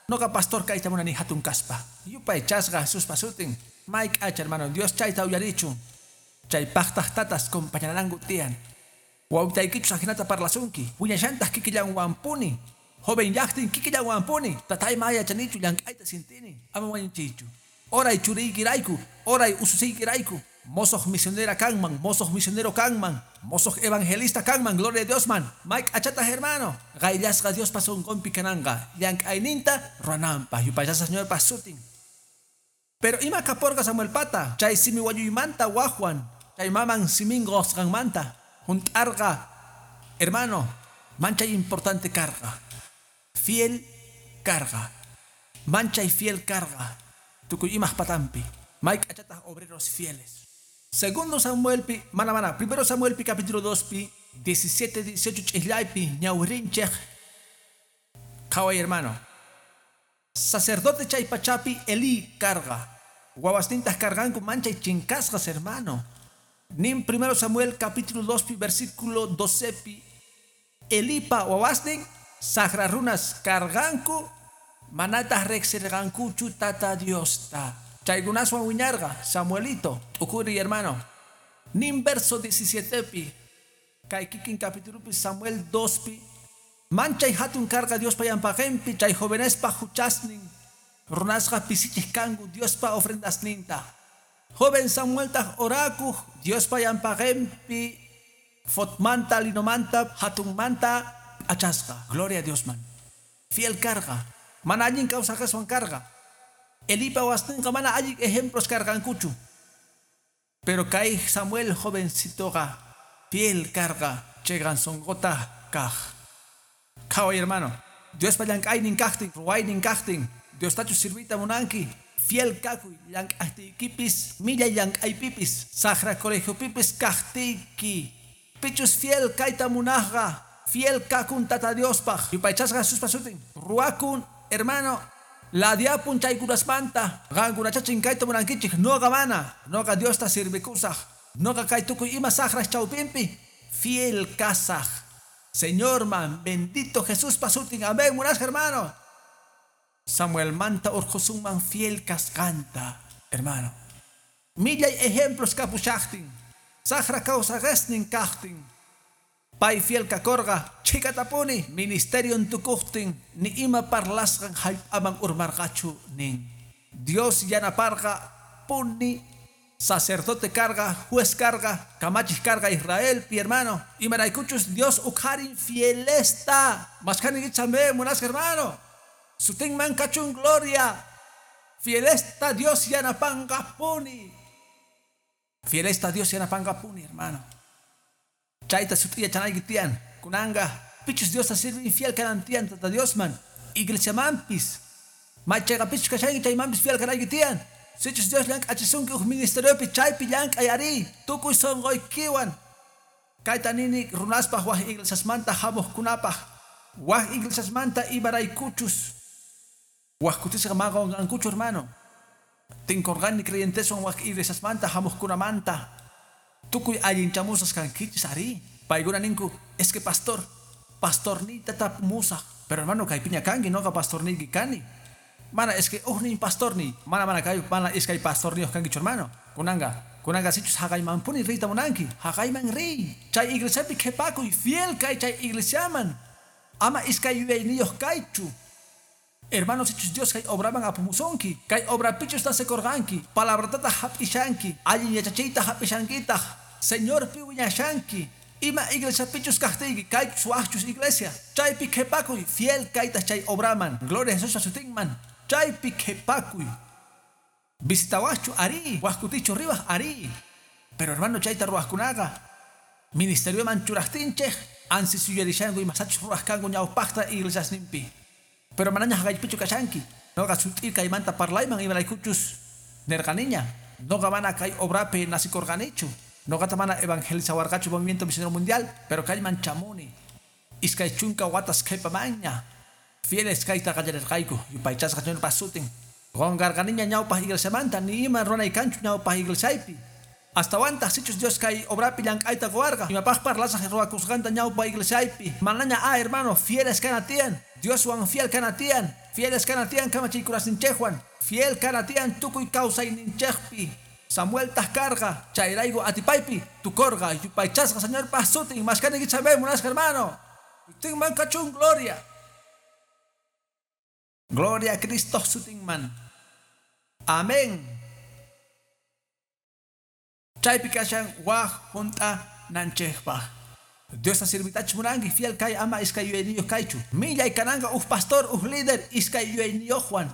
noqa pastor kayta munani hatun kaspa. Yupaychasqa Jesuspa sutin may k'acha hermano Dios chayta uyarichun. Chay paqtaq tatas compañananku tiyan. Wawitaykichus ajinata parlasunki wiñashantaq kikillanwanpuni. Joven llaqtin kikillanwanpuni tatay ma yachanichu llank'ayta sintini ama wañuchiychu. Oray churiykirayku oray ususiykirayku mosoq misionera kanman mosoq misionero kanman mosoq evangelista kanman gloria a Dios man. May k'achataq hermano qayllasqa Diospa sunqunpi kananqa llank'ayninta ruwananpaq yupaychasqa Señorpa sutin. Pero ima kaporqa Samuelpata chay simi wañuymanta waqwan chay maman simin qusqanmanta hunt'arqa hermano manchay importante karqa. Fiel carga. Manchay fiel carga. Tukuy imaj patampi. May k'achataq obreros fieles. Segundo Samuel pi, mana mana, primero Samuel pi capítulo 2 pi, 17, 18 ch'ijllaypi, ñawrinchej. Qhaway hermano. Sacerdote chay pachapi Elí karqa. Wawasnintaq karqanku manchay chinkasqas, hermano. Nin 1 Samuel capítulo 2 versículo 12pi Elipa wawasnin saqra runas karqanku manataq riqsirqankuchu Tata Diosta. Chaykunaswan wiñarqa Samuelito t'ukuri, hermano. Nin verso 17pi kay kikin capítulopi Samuel 2pi manchay hatun karqa Diospa ñawpaqinpi chay jovenespa huchasnin runasqa pisichik kanku Diospa ofrendasninta. Joven Samueltaq orakuq Diospa ñawpaqinpi efodmanta linomanta hatunmanta p'achasqa. Gloria a Diosman. Fiel karqa. Mana allin kawsaqaswan karqa. Elipa wawasninqa mana allin ejemplos karqankuchu. Pero kay Samuel jovencitoqa fiel karqa chiqan sunquta kaq. Qhaway, hermano. Diospa llank'aynin kaqtin, ruwaynin kaqtin, Diostachu sirviyta munanki, fiel kakuy llank'aqtiykipis, millay llank'aypipis, saqra colegiopipis kaqtiyki. Pichus fiel kayta munaqqa, fiel kakun Tata Diospaq. Yupaychasqa Jesuspa sutin. Ruwakun, hermano, ladiapun chaykunasmanta. Qankunacha chinkayta munankichik, noqa mana. Noqa Diosta sirvikusaq. Noqa kay tukuy ima saqras chawpinpi fiel kasaq. Señorman, bendito Jesuspa sutin. Amén, munasqa hermano. Samuel manta urqhusunman fiel kasqanta, hermano. Millay ejemplos kapushaqtin. Saqra kawsaqasnin kaqtin. Pay fiel kakorqa, chhikatapuni, ministerion tukuqtin, ni ima parlasqan hallp'aman urmarqachu nin. Dios yanaparqa puni sacerdote karqa, juez karqa, kamachik karqa Israelpi, hermano. Imaraykuchus Dios ukharin fielesta. Mashkhani ichame, munasqa hermano. Sutinman kachun gloria. Fielesta Dios yanapanqa puni. Fielesta Dios yanapanqa puni, hermano. Chayta sut'iya chanayki tiyan. Kunanqa pichus Diosta sirvin fiel kanan tiyan Tata Diosman. Iglesiamanpis. Maychayqa pichus kashanki chaymanpis fiel kanayki tiyan. Sichus Dios llank'achisunki huk ministeriopi chaypi llank'ay ari. Tukuy sunquykiwan. Kayta nini runaspaq wak iglesiasmanta hamuqkunapaq. Wak iglesiasmanta imaraykuchus. Wak kutisqa maqanqankuchu, hermano. Tinkurqani creyenteswan wak iglesiasmanta hamuqkunamanta. Tukuy allinchamusas kankichis ari. Paykuna ninku, es que pastor, pastorniyta tapumusaq. Pero hermano, kaypiña kanki, noqa pastorniyki kani. Mana, es que huknin pastorniy. Mana, mana kay, mana iskay pastorniyuq kankichu, hermano. Kunanqa, kunanqa sichus haqaymanpuni riyta munanki. Haqayman riy. Chay iglesiapi qhipakuy, fiel kay chay iglesiaman. Ama iskay yuyayniyuq kaychu. Hermanos, sichus Dios kay obraman apumusunki. Kay obrapichus nacekorqanki. Palabratata hap'ishanki. Allin yachachiyta hap'ishankitaq. Señorpi wiñashanki. Ima iglesiapichus kaqtiyki, kaychus waqchus iglesia. Chaypi qhipakuy, fiel kaytaq chay obraman. Gloria a Jesús sutinman. Chaypi qhipakuy. Visitawaqchu ari, waq kutichu riwaq ari. Pero hermano, chayta ruwaqkunaqa ministerioman churaqtinchik, ansi yuyarishanku imasachus ruwaq kanku ñawpaqta iglesiasninpi. Pero manaña haqaypichu kashanki. Noqa sut'i kaymanta parlayman imaraykuchus nirqaniña. Noqa mana kay obrapi nacikurqanichu. Noqata mana evangelizawarqachu Movimiento Misionero Mundial, pero kayman chamuni. Iskay chunka watas qhipamanña. Fieles kayta qallarirqayku, yupaychasqa Señorpa sutin. Qunqarqaniña ñawpaq iglesiamanta, ni ima runay kanchu ñawpaq iglesiaypi. Astawantaq sichus Dios kay obrapi llank'ayta quwarqa, imapaq parlasaq ruwakusqanta ñawpa iglesiaypi. Manaña a hermano, fieles kana tiyan. Dioswan fiel kana tiyan. Fieles kana tiyan kamachiykunasninchikwan. Fiel kana tiyan tukuy kawsayninchikpi. Samuel taq karqa, chayrayku atipaypi tukurqa, yupaychasqa Señorpa sutin, mashkani chabé munasqa hermano. Sutinman kachun gloria. Gloria a Cristo sutinman. Amén. Chaypi kashan waj junt'a nanchikpaq. Diosta sirvitach munanki fiel kay ama iskay yuyayniyuq kaychu. Millay kananqa uj pastor, uj líder iskay yuyayniyuqwan.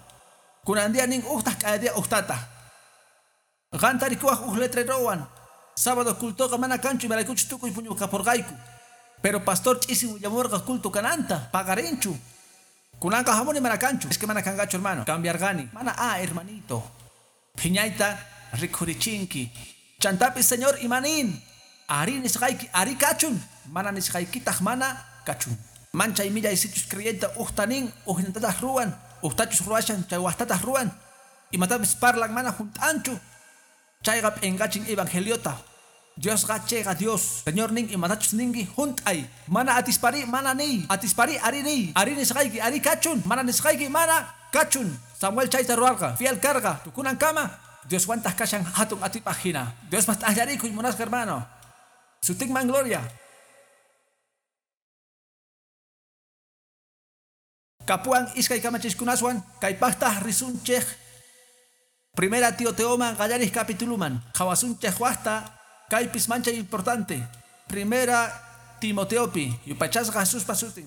Kunan día nin uqtaq k'aya día uqtataq. Qanta rikuwaq uj letrerowan. Sábado cultoqa mana kanchu imaraykuchus tukuy puñukapurqayku. Pero pastor ch'isi willamurqa culto kananta, paqarinchu. Kunanqa hamuni mana kanchu. Es que mana kanqachu, hermano. Cambiarqani. Mana a hermanito. Phiñayta rikhurichinki. Chantapis Señor imanin. Ari nisqayki ari kachun. Mana nisqaykitaq mana kachun. Manchay millay sichus creyente uqtanin ujnintataq ruwan. Ujtachus ruwashan chay wajtataj ruwan. Imatapis parlan mana junt'anchu. Chayqa p'inqachin evangeliota. Diosqa chayqa Dios. Señor nin imatachus ninki junt'ay. Mana atispari mana niy. Atispari ari niy. Ari nisqayki ari kachun. Mana nisqayki mana kachun. Samuel chayta ruwarqa. Fiel karqa. Tukunankama. Dioswantaq kashan hatun atipaq hina. Diospaq t'aqllarikuy munasqa hermano. Sutinman gloria. Kapuwan iskay kamachiskunaswan kaypaqtaq risunchik. Primera Timoteoman qallarij capituluman. Qhawasunchik waqta kaypis manchay importante. Primera Timoteopi yupaychasqa Jesuspa sutin.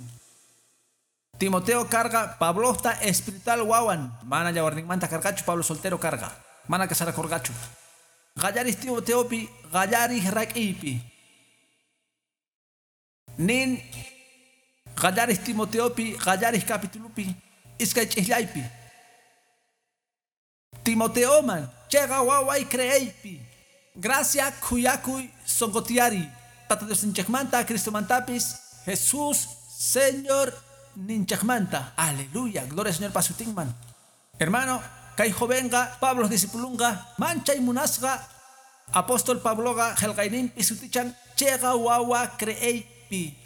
Timoteo karqa Pablojta espiritual wawan. Mana yawarninmanta karqachu, Pablo soltero karqa. Mana casarakurqachu. Qallarij Timoteopi qallarij rak'iypi. Nin qallarij Timoteopi qallarij capitulupi iskay ch'ijllaypi. Timoteoman chayqa waway creeypi. Gracia khuyakuy sonqotiyari. Tata Diosninchikmanta Cristomantapis Jesús Señor ninchikmanta. Aleluya. Gloria al Señor pasutinman. Hermano, kay jovenqa Pablo discipulunqa manchay munasqa apóstol Pabloqa qillqayninpi sutichan chayqa wawa creeypi.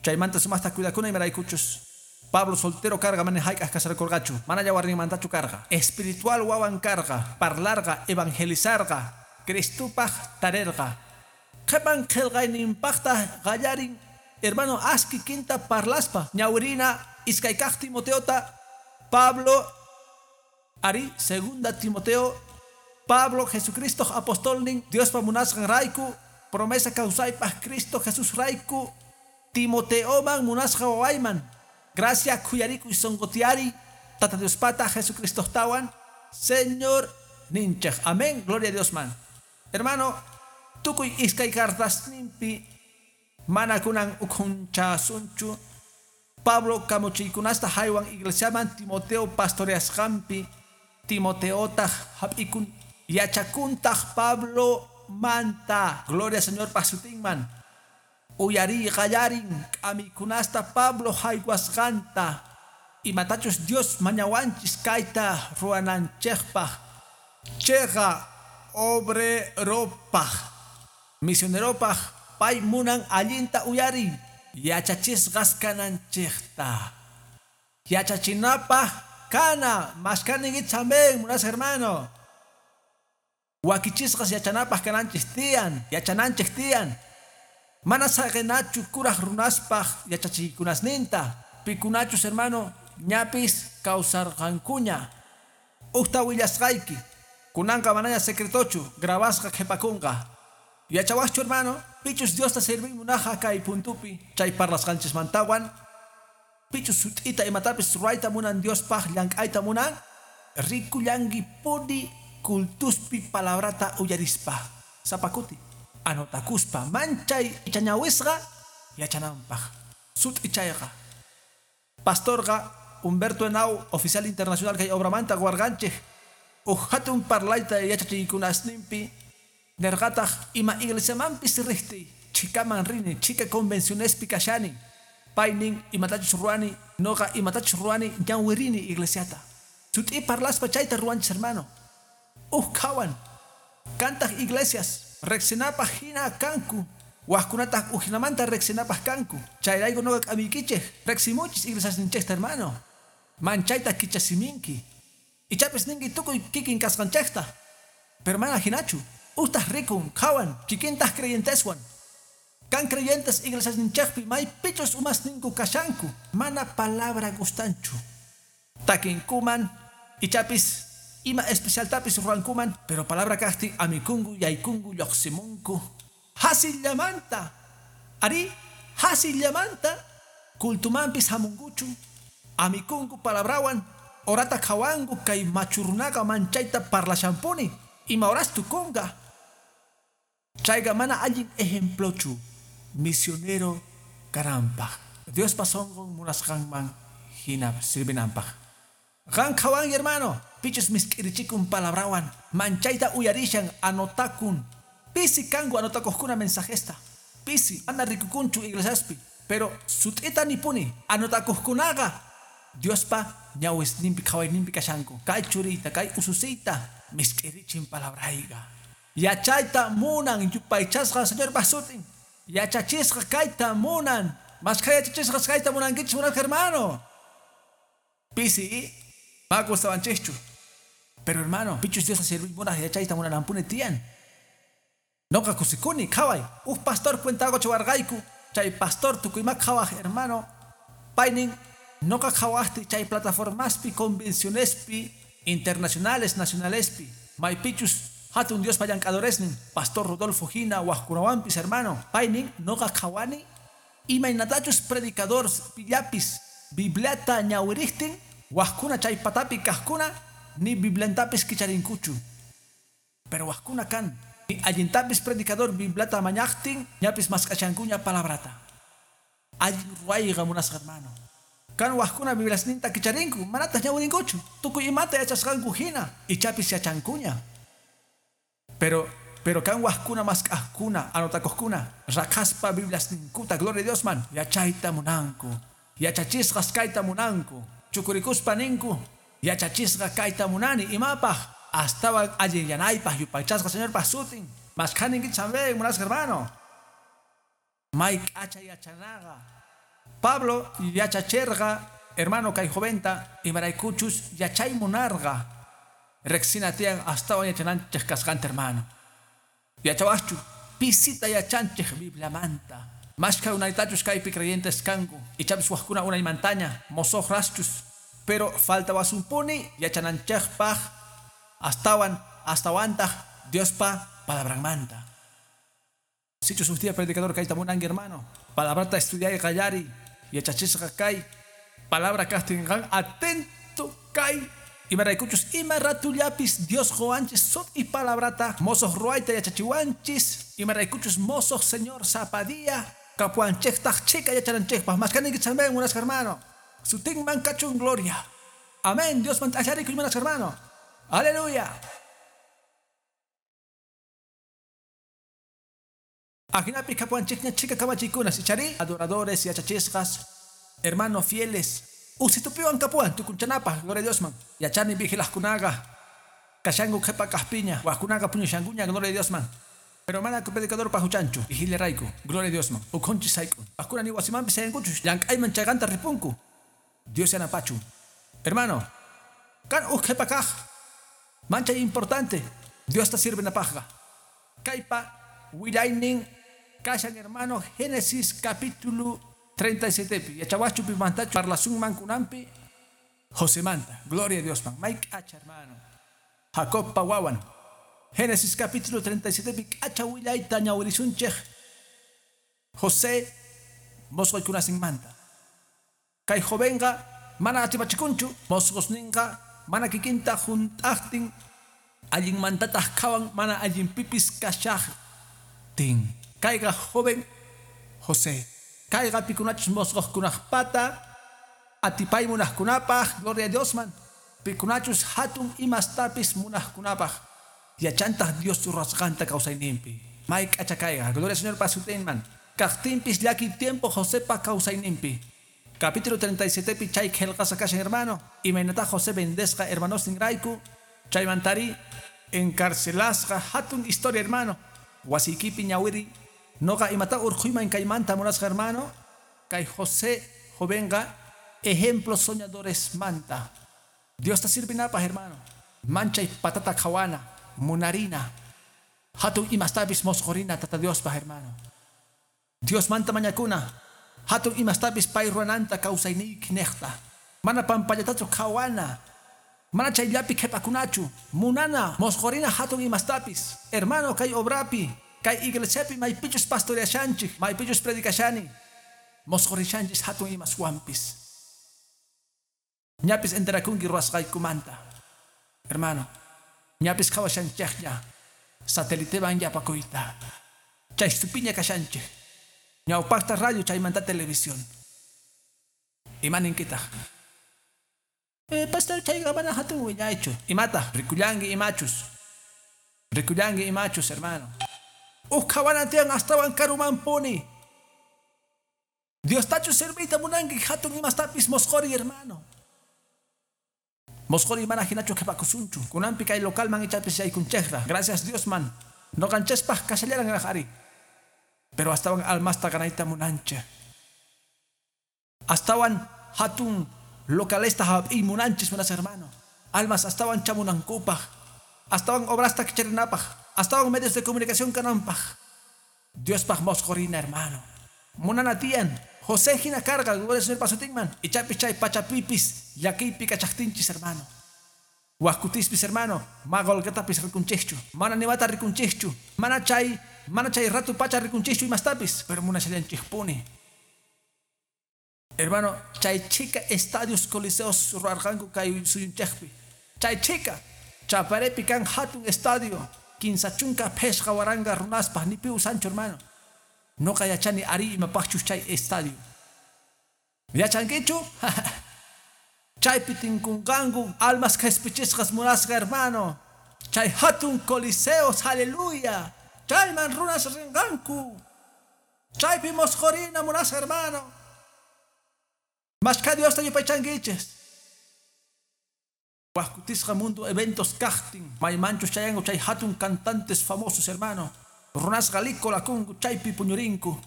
Chaymanta sumaqta cuidakuna imaraykuchus. Pablo soltero karqa mana hayk'aq casarakurqachu, mana yawarninmantachu karqa. Espiritual wawan karqa, parlarqa, evangelizarqa, Cristopaq tarerqa. Qhipan qillqayninpaqtaq qallarin hermano aski kinta parlaspa ñawirina iskay kaq Timoteota Pablo ari segunda Timoteo Pablo Jesucristo apostolnin Diospa munasqan rayku promesa kawsaypaq Cristo Jesús rayku Timoteoman munasqa wawayman gracia khuyarikuy sonqotiyari Tata Diospata Jesucristotawan Señor ninchik. Amén. Gloria a Dios man. Hermano, tukuy iskay cartasninpi mana kunan ukhunchasunchu. Pablo kamuchiykunasta haywan iglesiaman Timoteo pastoreasqanpi Timoteotaq hap'ikun yachakuntaq Pablo manta. Gloria Señor pasutinman. Uyariy qallarin k'amikunasta Pablo haywasqanta. Imatachus Dios mañawanchis kayta ruwananchikpaq. Chayqa obreropaq misioneropaq pay munan allinta uyariy yachachisqas kananchikta. Yachachinapaq kana mashkaninki amén munasqa hermano. Wakichisqas yachanapaq kananchik tiyan, yachananchik tiyan. Mana saqinachu kuraq runaspaq yachachiykunasninta. Pikunachus hermano ñapis kawsarqankuña. Uqta willasqayki. Kunanqa manaña secretochu grabasqa qhipakunqa. Yachawaqchu hermano, pichus Diosta serviy munaqa kay puntupi chay parlasqanchismantawan. Pichus sut'ita imatapis ruwayta munan Diospaq llank'ayta munan, rikullankipuni kultuspi palabrata uyarispa. Sapakuti anotakuspa manchay ichañawisqa yachananpaq. Sut'i chayqa. Pastorqa Humberto Henao, oficial internacional kay obramanta warqanchik. Uj hatun parlayta yachachiykunasninpi nerqataq ima iglesiamanpis riqtiy chhikaman rini chhika convencionespi kashani. Paynin imatachus ruwani noqa imatachus ruwani ñawirini iglesiata. Sut'i parlaspa chayta ruwanchis hermano. Uj qhawan kantaq iglesias riqsinapaq hina kanku waqkunataq ujinamanta riqsinapaq kanku. Chayrayku noqa k'amiykichik riqsimuchis iglesiasninchikta hermano. Manchayta kichasiminki. Ichapis ninki tukuy kikin kasqanchikta. Pero mana hinachu. Utaq rikun qhawan kikintaq creyenteswan. Kan creyentes iglesiasninchikpi maypichus umasninku kashanku mana palabra gustanchu. Takinkuman ichapis ima especialtapis ruwankuman pero palabra kaqtin amikunku yaykunku lluqsimunku. Hasillamanta ari hasillamanta kultumanpis hamunkuchu amikunku palabrawan orata qhawanku kay machurunaqa manchayta parlashanpuni ima horas tukunqa. Chayqa mana allin ejemplochu misionero kananpaq. Diospa sunqun munasqanman hina sirvinanpaq. Qan qhawanki hermano, pichus misk'irichikun palabrawan manchayta uyarishan anotakun. Pisi kanku anotakuqkuna mensajesta. Pisi mana rikukunchu iglesiaspi, pero sut'ita nipuni anotakuqkunaqa Diospa ñawisninpi qhawayninpi kashanku. Kay churiyta, kay ususiyta misk'irichin palabrayqa. Yachayta munan yupaychasqa Señorpa sutin. Yachachisqa kayta munan. Mashkha yachachisqas kayta munankichis munasqa hermano. Pisi, ma gustawanchikchu. Pero hermano, pichus Diosta sirviy munaj yachayta munanampuni tiyan. Noqa kusikuni, qhaway. Uj pastor cuentago chawarqayku. Chay pastor tukuyma qhawaj hermano. Paynin noqa qhawajti chay plataformaspi, convencionespi, internacionales, nacionalespi. Maypichus hatun Diospa llank'adoresnin, pastor Rodolfo hina wajkunawanpis hermano. Paynin noqa qhawani imaynatachus predicador pillapis Bibliata ñawiriqtin wajkuna chay patapi kaqkuna ni Bibliantapis kicharinkuchu. Pero wajkuna kan ni allintapis predicador Bibliata mañaqtin ñapis mask'achankuña palabrata. Allin ruwayqa munasqa hermano. Kan wajkuna Bibliasninta kicharinku manataq ñawirinkuchu. Tukuy imata yachasqanku hina ichapis yachankuña. Pero kan wajkuna mask'ajkuna anotakuqkuna raqaspa Bibliasninkuta gloria a Dios man yachayta munanku. Yachachisqas kayta munanku. Chukurikuspa ninku yachachisqa kayta munani imapaq astawan allinyanaypaq yupaychasqa Señorpa sutin. Maskhaninkichis amén munasqa hermano. May k'acha yachanaqa. Pablo yachacherqa hermano kay joventa imaraykuchus yachay munarqa. Riqsina tiyan astawan yachananchik kasqanta hermano. Yachawaqchu pisita yachanchik Bibliamanta. Mashkha unaytachus kaypi creyentes kanku ichapis wajkuna unaymantaña mosoqraschus. Pero faltawasumpuni yachananchikpaq astawan astawantaq Diospa palabranmanta. Sichus uj día predicador kayta munanki hermano. Palabrata estudiay qallariy yachachisqa kay palabra kaqtinqan atento kay imaraykuchus ima ratullapis Dios quwanchis sut'i palabrata mosoq ruwayta yachachiwanchis imaraykuchus mosoq Señor sapa día kapuwanchiktaq chhika yachananchikpaq. Maskhaninkichis amén munasqa hermano. Sutinman kachun gloria. Amén. Diosman t'allarikuy munasqa hermano. Aleluya. Ajinapi kapuwanchikña chhika kamachiykunas ichari adoradores yachachisqas hermano fieles. Usitupiwan kapuwan tukunchanapaq gloria a Diosman. Yachani vigilaqkunaqa kashanku qhipa kaqpiña wajkunaqa puñushankuña gloria a Diosman. Pero mana predicador pajuchanchu vigilarayku gloria a Diosman. Ukhunchis sayk'un. Wajkuna ni wasimanpis sayankuchus llank'ayman chaykanta ripunku. Dios yanapachu. Hermano, kan uj qhipa kaq manchay importante Diosta sirvenapaqqa. Kaypa willaynin kashan hermano Génesis capítulo 37. Yachawaschu pimantachu parlasunman kunanpi Josemanta. Gloria a Dios man. May k'acha hermano. Jacobpa wawan. Génesis capítulo 37 k'acha willayta ñawirisunchik José mosqoykunasinmanta. Kay jovenqa mana atipachikunchu mosqosninqa mana kikinta junt'aqtin allinmantataq qhawan mana allinpipis kashaqtin. Kayqa joven José. Kayqa pikunachus mosqoqkunaqpata atipay munaqkunapaq gloria a Dios man. Pikunachus hatun imastapis munaqkunapaq yachantaq Dios ruwasqanta kawsayninpi. May k'acha kayqa gloria al Señor pa sutinman. Kaqtinpis llaki tiempo Josepa kawsayninpi. Capítulo 37 pi chay qillqasqa kashan hermano. Imaynata José vendesqa hermanosninrayku chaymantari encarcelasqa hatun historia hermano. Wasiykipi ñawiri noqa imata urqhuyman kaymanta munasqa hermano. Kay José jovenqa ejemplo soñadores manta. Diosta sirvinapaq hermano. Manchay patata qhawana munarina. Hatun imastapis mosqhurina tata Diospaq hermano. Dios manta mañakuna. Hatun imastapis pay ruwananta kawsayniyki niqta. Mana pampallatachu qhawana. Mana chayllapi qhipakunachu. Munana mosqhurina hatun imastapis. Hermano kay obrapi, kay iglesiapi maypichus pastoreashanchik, maypichus predicashani. Mosqhurishanchis hatun imaswanpis. Ñapis enterakunki ruwasqaykumanta. Hermano, ñapis qhawashanchikña satelitewan yapakuyta. Chaystupiña kashanchik. Ñawpaqta radio chaymanta televisión. Imaninkitaq. Pastor chayqa mana hatun willaychu. Imata rikullanki imachus. Rikullanki imachus hermano. Uj qhawana tiyan astawan karumanpuni. Diostachu serviyta munanki hatun imastapis mosqhuri hermano. Mosqori mana hinachu qhipakusunchu. Kunanpi kay localman ichapis yaykunchikra. Gracias Diosman. Noqanchispaq kashallaranraq ari. Pero astawan almasta ganayta munanchik. Astawan hatun localesta hap'iy munanchis munas hermano. Almas astawan chamunankupaq. Astawan obrasta kicharinapaq. Astawan medios de comunicación kananpaq. Diospaq mosqorina hermano. Munana tiyan. José hina karqa, gloria Señor pasutinman. Ichapis chay pachapipis llakiypi kachaqtinchis hermano. Waqkutispis hermano, ma qolqetapis rikunchikchu. Mana nimata rikunchikchu. Mana chay ratu pacha rikunchikchu imastapis, pero munashallanchikpuni. Hermano, chay chica estadios coliseos ruarqanku kay suyunchikpi. Chay chica, Chaparepi kan hatun estadio, 15 phishqa waranqa runaspaq nipi usanchu hermano. Noqa yachani ari imapaqchus chay estadio. Yachankichu? Chaypi tinkunqanku almas qhispichisqas munasqa hermano. Chay hatun coliseos, aleluya. Chayman runas rinqanku. Chaypi mosqorina munasqa hermano. Mashka Diosta yupaychankichis. Waqkutisqa mundo eventos kaqtin. Maymanchus chayanku chay hatun cantantes famosos hermano. Runasqa likolakunku chaypi puñurinku.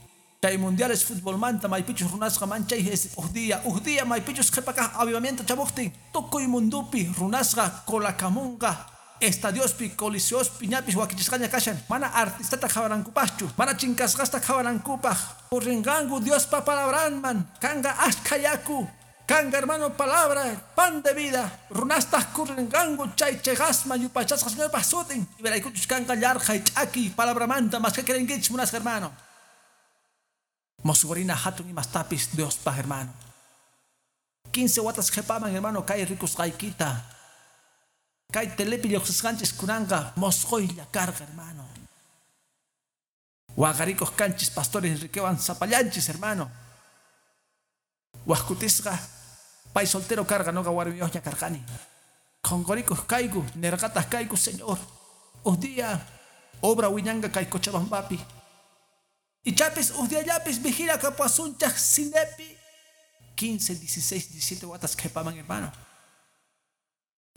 Chay mundiales futbolmanta maypichus runasqa manchay uj día maypichus qhipakaq avivamiento chamuqtin. Tukuy mundupi runasqa kolakamunqa. Estadiospi, coliseospi ñapis wakichisqaña kashan. Mana artistata qhawanankupaqchu, mana chinkasqasta qhawanankupaq. Purrinqanku Diospa palabranman. Kanqa ashkha yaku. Kanga hermano palabra, pan de vida. Runastaq kurrinqanku chay cheqasman yupaychasqa Señorpaq sutin. Imaraykuchus kanqa yarqhay ch'akiy palabramanta mashka kirinkichis munasqa hermano. Mosqorina hatun imastapis Diospaq hermano. 15 watas qhipaman hermano kay rikusqaykita. Kay telepi lluqsisqanchis kunanqa mosqoylla karqa hermano. Waqarikuq kanchis pastores Enriquewan sapallanchis hermano. Waqkutisqa pay soltero karqa noqa warmiyuqña karqani. Qhonqorikuq kayku nirqataq kayku Señor. Uj día obra wiñanqa kay Cochabambapi. Ichapis uj diallapis vigila kapuwasunchaq cinepi. 15, 16, 17 watas qhipaman hermano.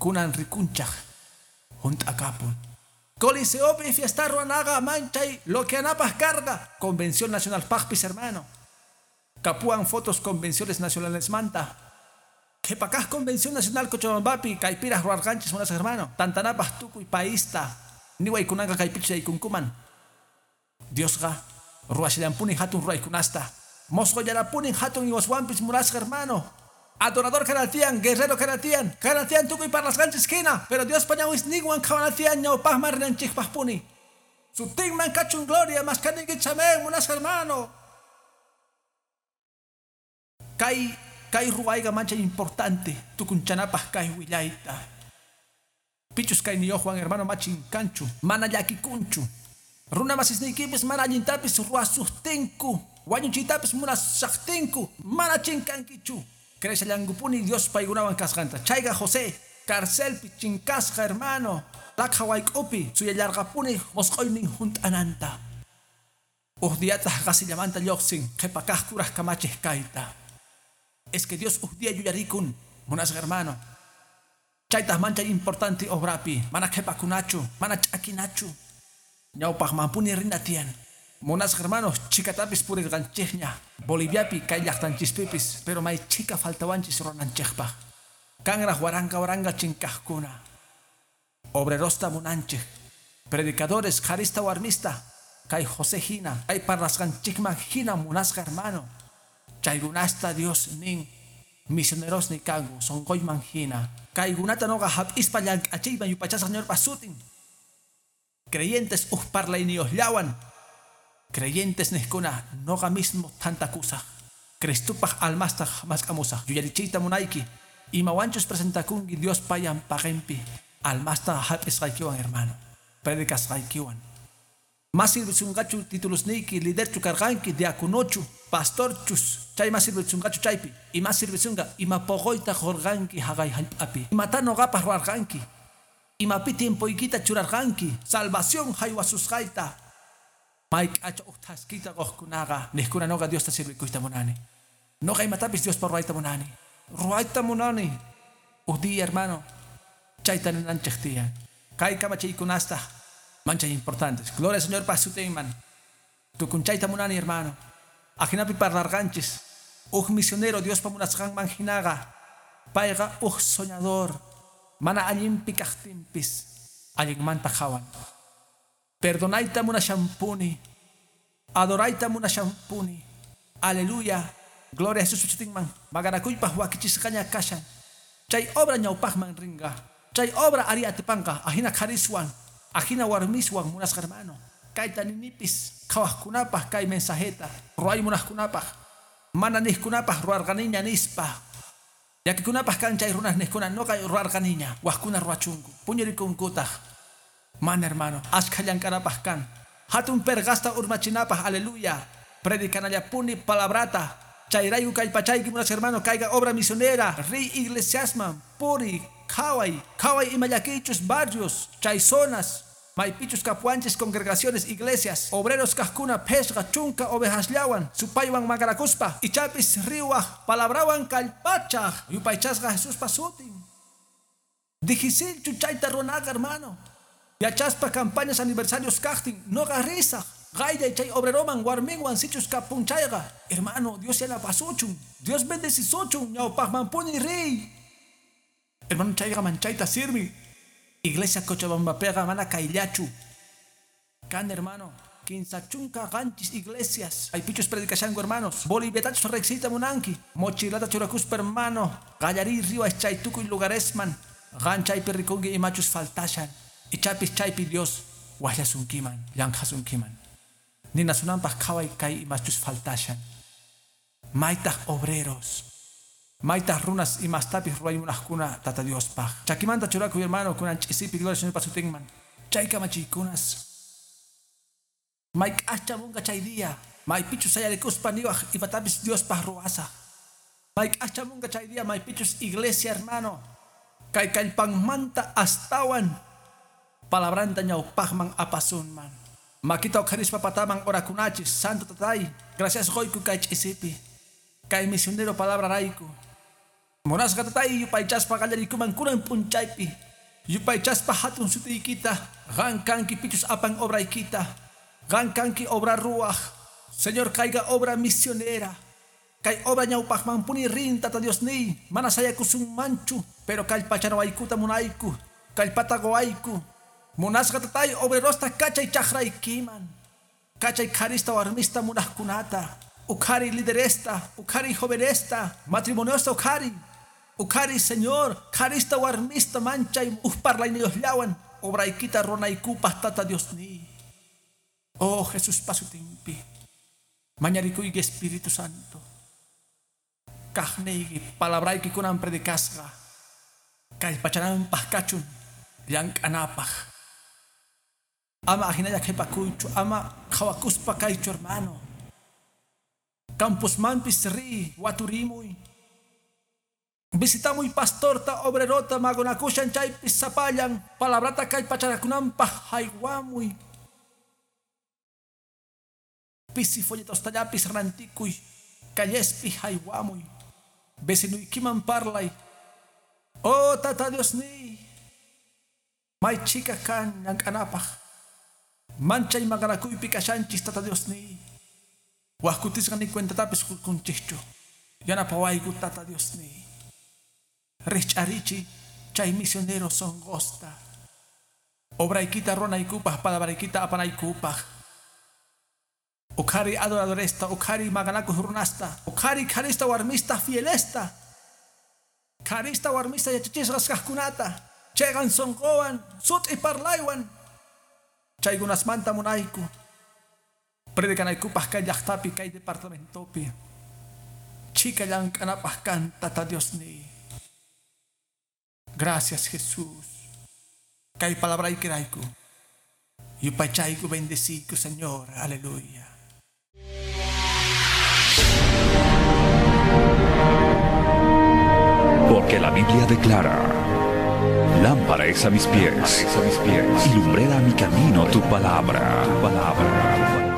Kunan rikunchaq hunt'akapun. Coliseopi fiesta ruwanaqa manchay loqueanapaq karqa. Convención Nacional paqpis hermano. Kapuwan fotos convenciones nacionales manta. Qhipakaq Convención Nacional Cochabambapi kaypiraq ruwarqanchis munasqa hermano. Tantanapaq tukuy paista. Niway kunanqa kaypichus yaykunkuman. Diosqa ruwashallampuni hatun ruwaykunasta. Mosqollarapuni hatun iwaswanpis munasqa hermano. Adorador kanatian, guerrero kanatian, kanatian tukuy parlasqanchis hina, pero Diospa ñawisninwan qhawanatian ñawpaqman rinanchikpaqpuni. Sutinman kachun gloria, mashkaninkichis amén, munasqa hermano. Kay ruwayqa manchay importante, tukunchanapaq kay willayta. Pichus kayniyuqwan hermano machin kanchu, mana llakikunchu. Runa masisniykipis mana allintapis ruwasuqtinku, wañuchiytapis munasaqtinku, mana chinkankichu. Creeshallankupuni Dios paykunawan kasqanta. Chayqa José, carcelpi chinkasqa hermano, laqha wayk'upi suyallarqapuni mosqoynin hunt'ananta. Uj diyataq qasillamanta lluqsin qhipakaq kuraq kamachiq kayta. Es que Dios uj día yuyarikun, munasqa hermano. Chaytaq manchay importante obrapi, mana qhipakunachu, mana ch'akinachu. Ñawpaqmanpuni rina tiyan. Munasqa hermanos, chikatapis purirqanchikña. Boliviapi kay llaqtanchispipis, pero may chika faltawanchis rurananchikpaq. Kanraq waranqa waranqa chinkaqkuna. Obrerosta munanchik. Predicadores, qharista warmista. Kay José hina, kay parlasqanchikman hina munasqa hermano. Chaykunasta Dios nin misionerosni kanku sonqoyman hina. Kaykunata noqa hap'ispa llank'achiyman yupaychasaq Señorpa sutin. Creyentes uj parlayniyuqllawan. Creyentes niqkuna noqa mismo tantakusaq. Cristupaq almastaq mask'amusaq. Yuyarichiyta munayki. Imawanchus presentakunki Diospa ñawpaqinpi. Almasta hap'isqaykiwan hermano. Predicasqaykiwan. Mas sirvisunqachu titulusniyki, liderchu karqanki, diaconochu, pastorchus, chay mas sirvisunqachu chaypi. Ima sirvisunqa, ima poqoyta qurqanki haqay hallp'api. Imata noqapaq ruwarqanki. Imapi tiempoykita churarqanki. Salvación haywasusqayta. Mayk'acha uj thaskiyta quqkunaqa, niqkuna noqa Diosta sirvikuyta munani. Noqa imatapis Diospa ruwayta munani. Ruwayta munani. Uj día, hermano, chayta ninanchej tiyan. Kay kamachiykunasta manchay importantes. Gloria al Señor pa sutinman. Tukunchayta munani, hermano. Ajinapi parlarqanchis. Uj misionero Diospa munasqanman jinaqa. Payqa uj soñador. Mana allinpi kaqtinpis allinmanta qhawan. Perdonayta munashanpuni. Adorayta munashanpuni. Aleluya. Gloria a Jesús sutinman. Maqanakuypaq wakichisqaña kashan. Chay obra ñawpaqman rinqa. Chay obra ari atipanqa. Ajina qhariswan. Ajina warmiswan munasqa hermano. Kayta ninipis qhawaqkunapaq kay mensajeta. Ruway munaqkunapaq. Mana niqkunapaq ruwarqaniña nispa. Llakikunapaq kan chay runas niqkuna nuqa ruwarqaniña. Waqkuna ruwachunku. Puñurikunkutaq. Mana hermano. Ashkha llank'anapaq kan. Hatun perqasta urmachinapaq. Aleluya. Predicanallapuni palabrata. Chayrayku kallpachayki munasqa hermano kayqa obra misionera. Riy iglesiasman. Puri. Qhaway. Qhaway ima llakiychus barrios. Chay zonas. Maypichus kapuwanchis congregaciones, iglesias, obreros kaqkuna phishqa chunka ovejasllawan supaywan maqanakuspa ichapis riwaq palabrawan kallpachaq yupaychasqa Jesuspa sutin. Difícilchu chayta runaqa, hermano. Yachaspa campañas aniversarios kaqtin nuqa risaq qayllay chay obreroman warminwan sichus kapun chayqa. Hermano, Dios yanapasuchun. Dios bendecisuchun ñawpaqmanpuni riy. Hermano, chayqa manchayta sirvi. Iglesia Cochabambapiqa mana kayllachu. Kan, hermano, 37 iglesias. Maypichus predicashanku, hermanos. Boliviatachus riqsiyta munanki. Mochilata churakuspa, hermano. Qallariy riwaq chay tukuy lugaresman. Qan chaypi rikunki imachus faltashan. Ichapis chaypi Dios waqllasunkiman, llank'asunkiman. Ninasunanpaq qhaway kay imachus faltashan. Maytaq obreros. Maytaq runas imastapis ruway munaqkuna Tata Diospaq. Chakimanta churakuy, hermano, kunan ch'isipi gloria Señorpa sutinman. Chay kamachiykunas. Mayk'aqchamunqa chay día. Maypichus sayarikuspa niwaq imatapis Diospaq ruwasaq. Mayk'aqchamunqa chay día maypichus iglesia, hermano. Kay kallpanmanta astawan palabranta ñawpaqman apasunman. Makita uqharispa pataman orakunachis. Santo Tatay, gracias qoyku kay ch'isipi. Kay misionero palabra rayku. Munasqa Tatay yupaychaspa qallariykuman kunan p'unchaypi. Yupaychaspa hatun sutiykita. Qan kanki pichus apan obraykita. Qan kanki obra ruwaq. Señor, kayqa obra misionera. Kay obra ñawpaqmanpuni rin, Tata Diosniy. Mana sayakusunmanchu, pero kallpachanawaykuta munayku. Kallpata quwayku. Munasqa Tatay obrerosta kachay chaqraykiman. Kachay qharista warmista munaqkunata. Uqhari lideresta, uqhari jovenesta, matrimoniosta uqhari. Uqhari, Señor, qharista warmista manchay uj parlayniyuqllawan obraykita runaykupaq Tata Diosniy. Oh, Jesuspa sutinpi. Mañarikuyki Espíritu Santo. Kaqniyki palabrayki kunan predicasqa. Kallpachananpaq kachun llank'anapaq. Ama ajinalla qhipakuychu, ama qhawakuspa kaychu, hermano. Campusmanpis riy, waturimuy. Visitamuy pastorta, obrerota, maqanakushan chaypis sapallan, palabrata kallpachanakunanpaq haywamuy. Pisi folletostallapis rantikuy, callespi haywamuy. Vecinuykiman parlay. Oh, Tata Diosniy. May chika kan llank'anapaq. Manchay maqanakuypi kashanchis, Tata Diosniy. Waqkutisqa ni cuentatapis qukunchikchu. Yanapawayku, Tata Diosniy. Rikch'arichiy chay misionero sonqosta. Obraykita runaykupaq, palabraykita apanaykupaq. Uqhari adoradoresta, uqhari maqanakuq runasta, uqhari qharista warmista fielesta. Qharista warmista yachachisqas kaqkunata, chiqan sunquwan, sut'i parlaywan. Chaykunasmanta munayku. Predicanaykupaq kay llaqtapi, kay departamentopi. Chika llank'anapaq kan, Tata Diosniy. Gracias, Jesús. Kay palabraykirayku. Yupaychayku, bendeciyku, Señor. Aleluya. Porque la Biblia declara: lámpara es a mis pies, y lumbrera a mi camino tu palabra. Tu palabra.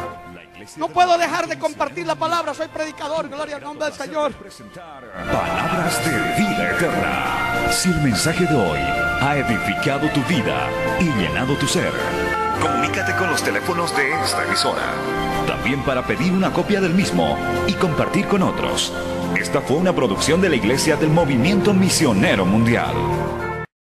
No puedo dejar de compartir la palabra, soy predicador, gloria al nombre del Señor. Palabras de vida eterna. Si el mensaje de hoy ha edificado tu vida y llenado tu ser, comunícate con los teléfonos de esta emisora. También para pedir una copia del mismo y compartir con otros. Esta fue una producción de la Iglesia del Movimiento Misionero Mundial.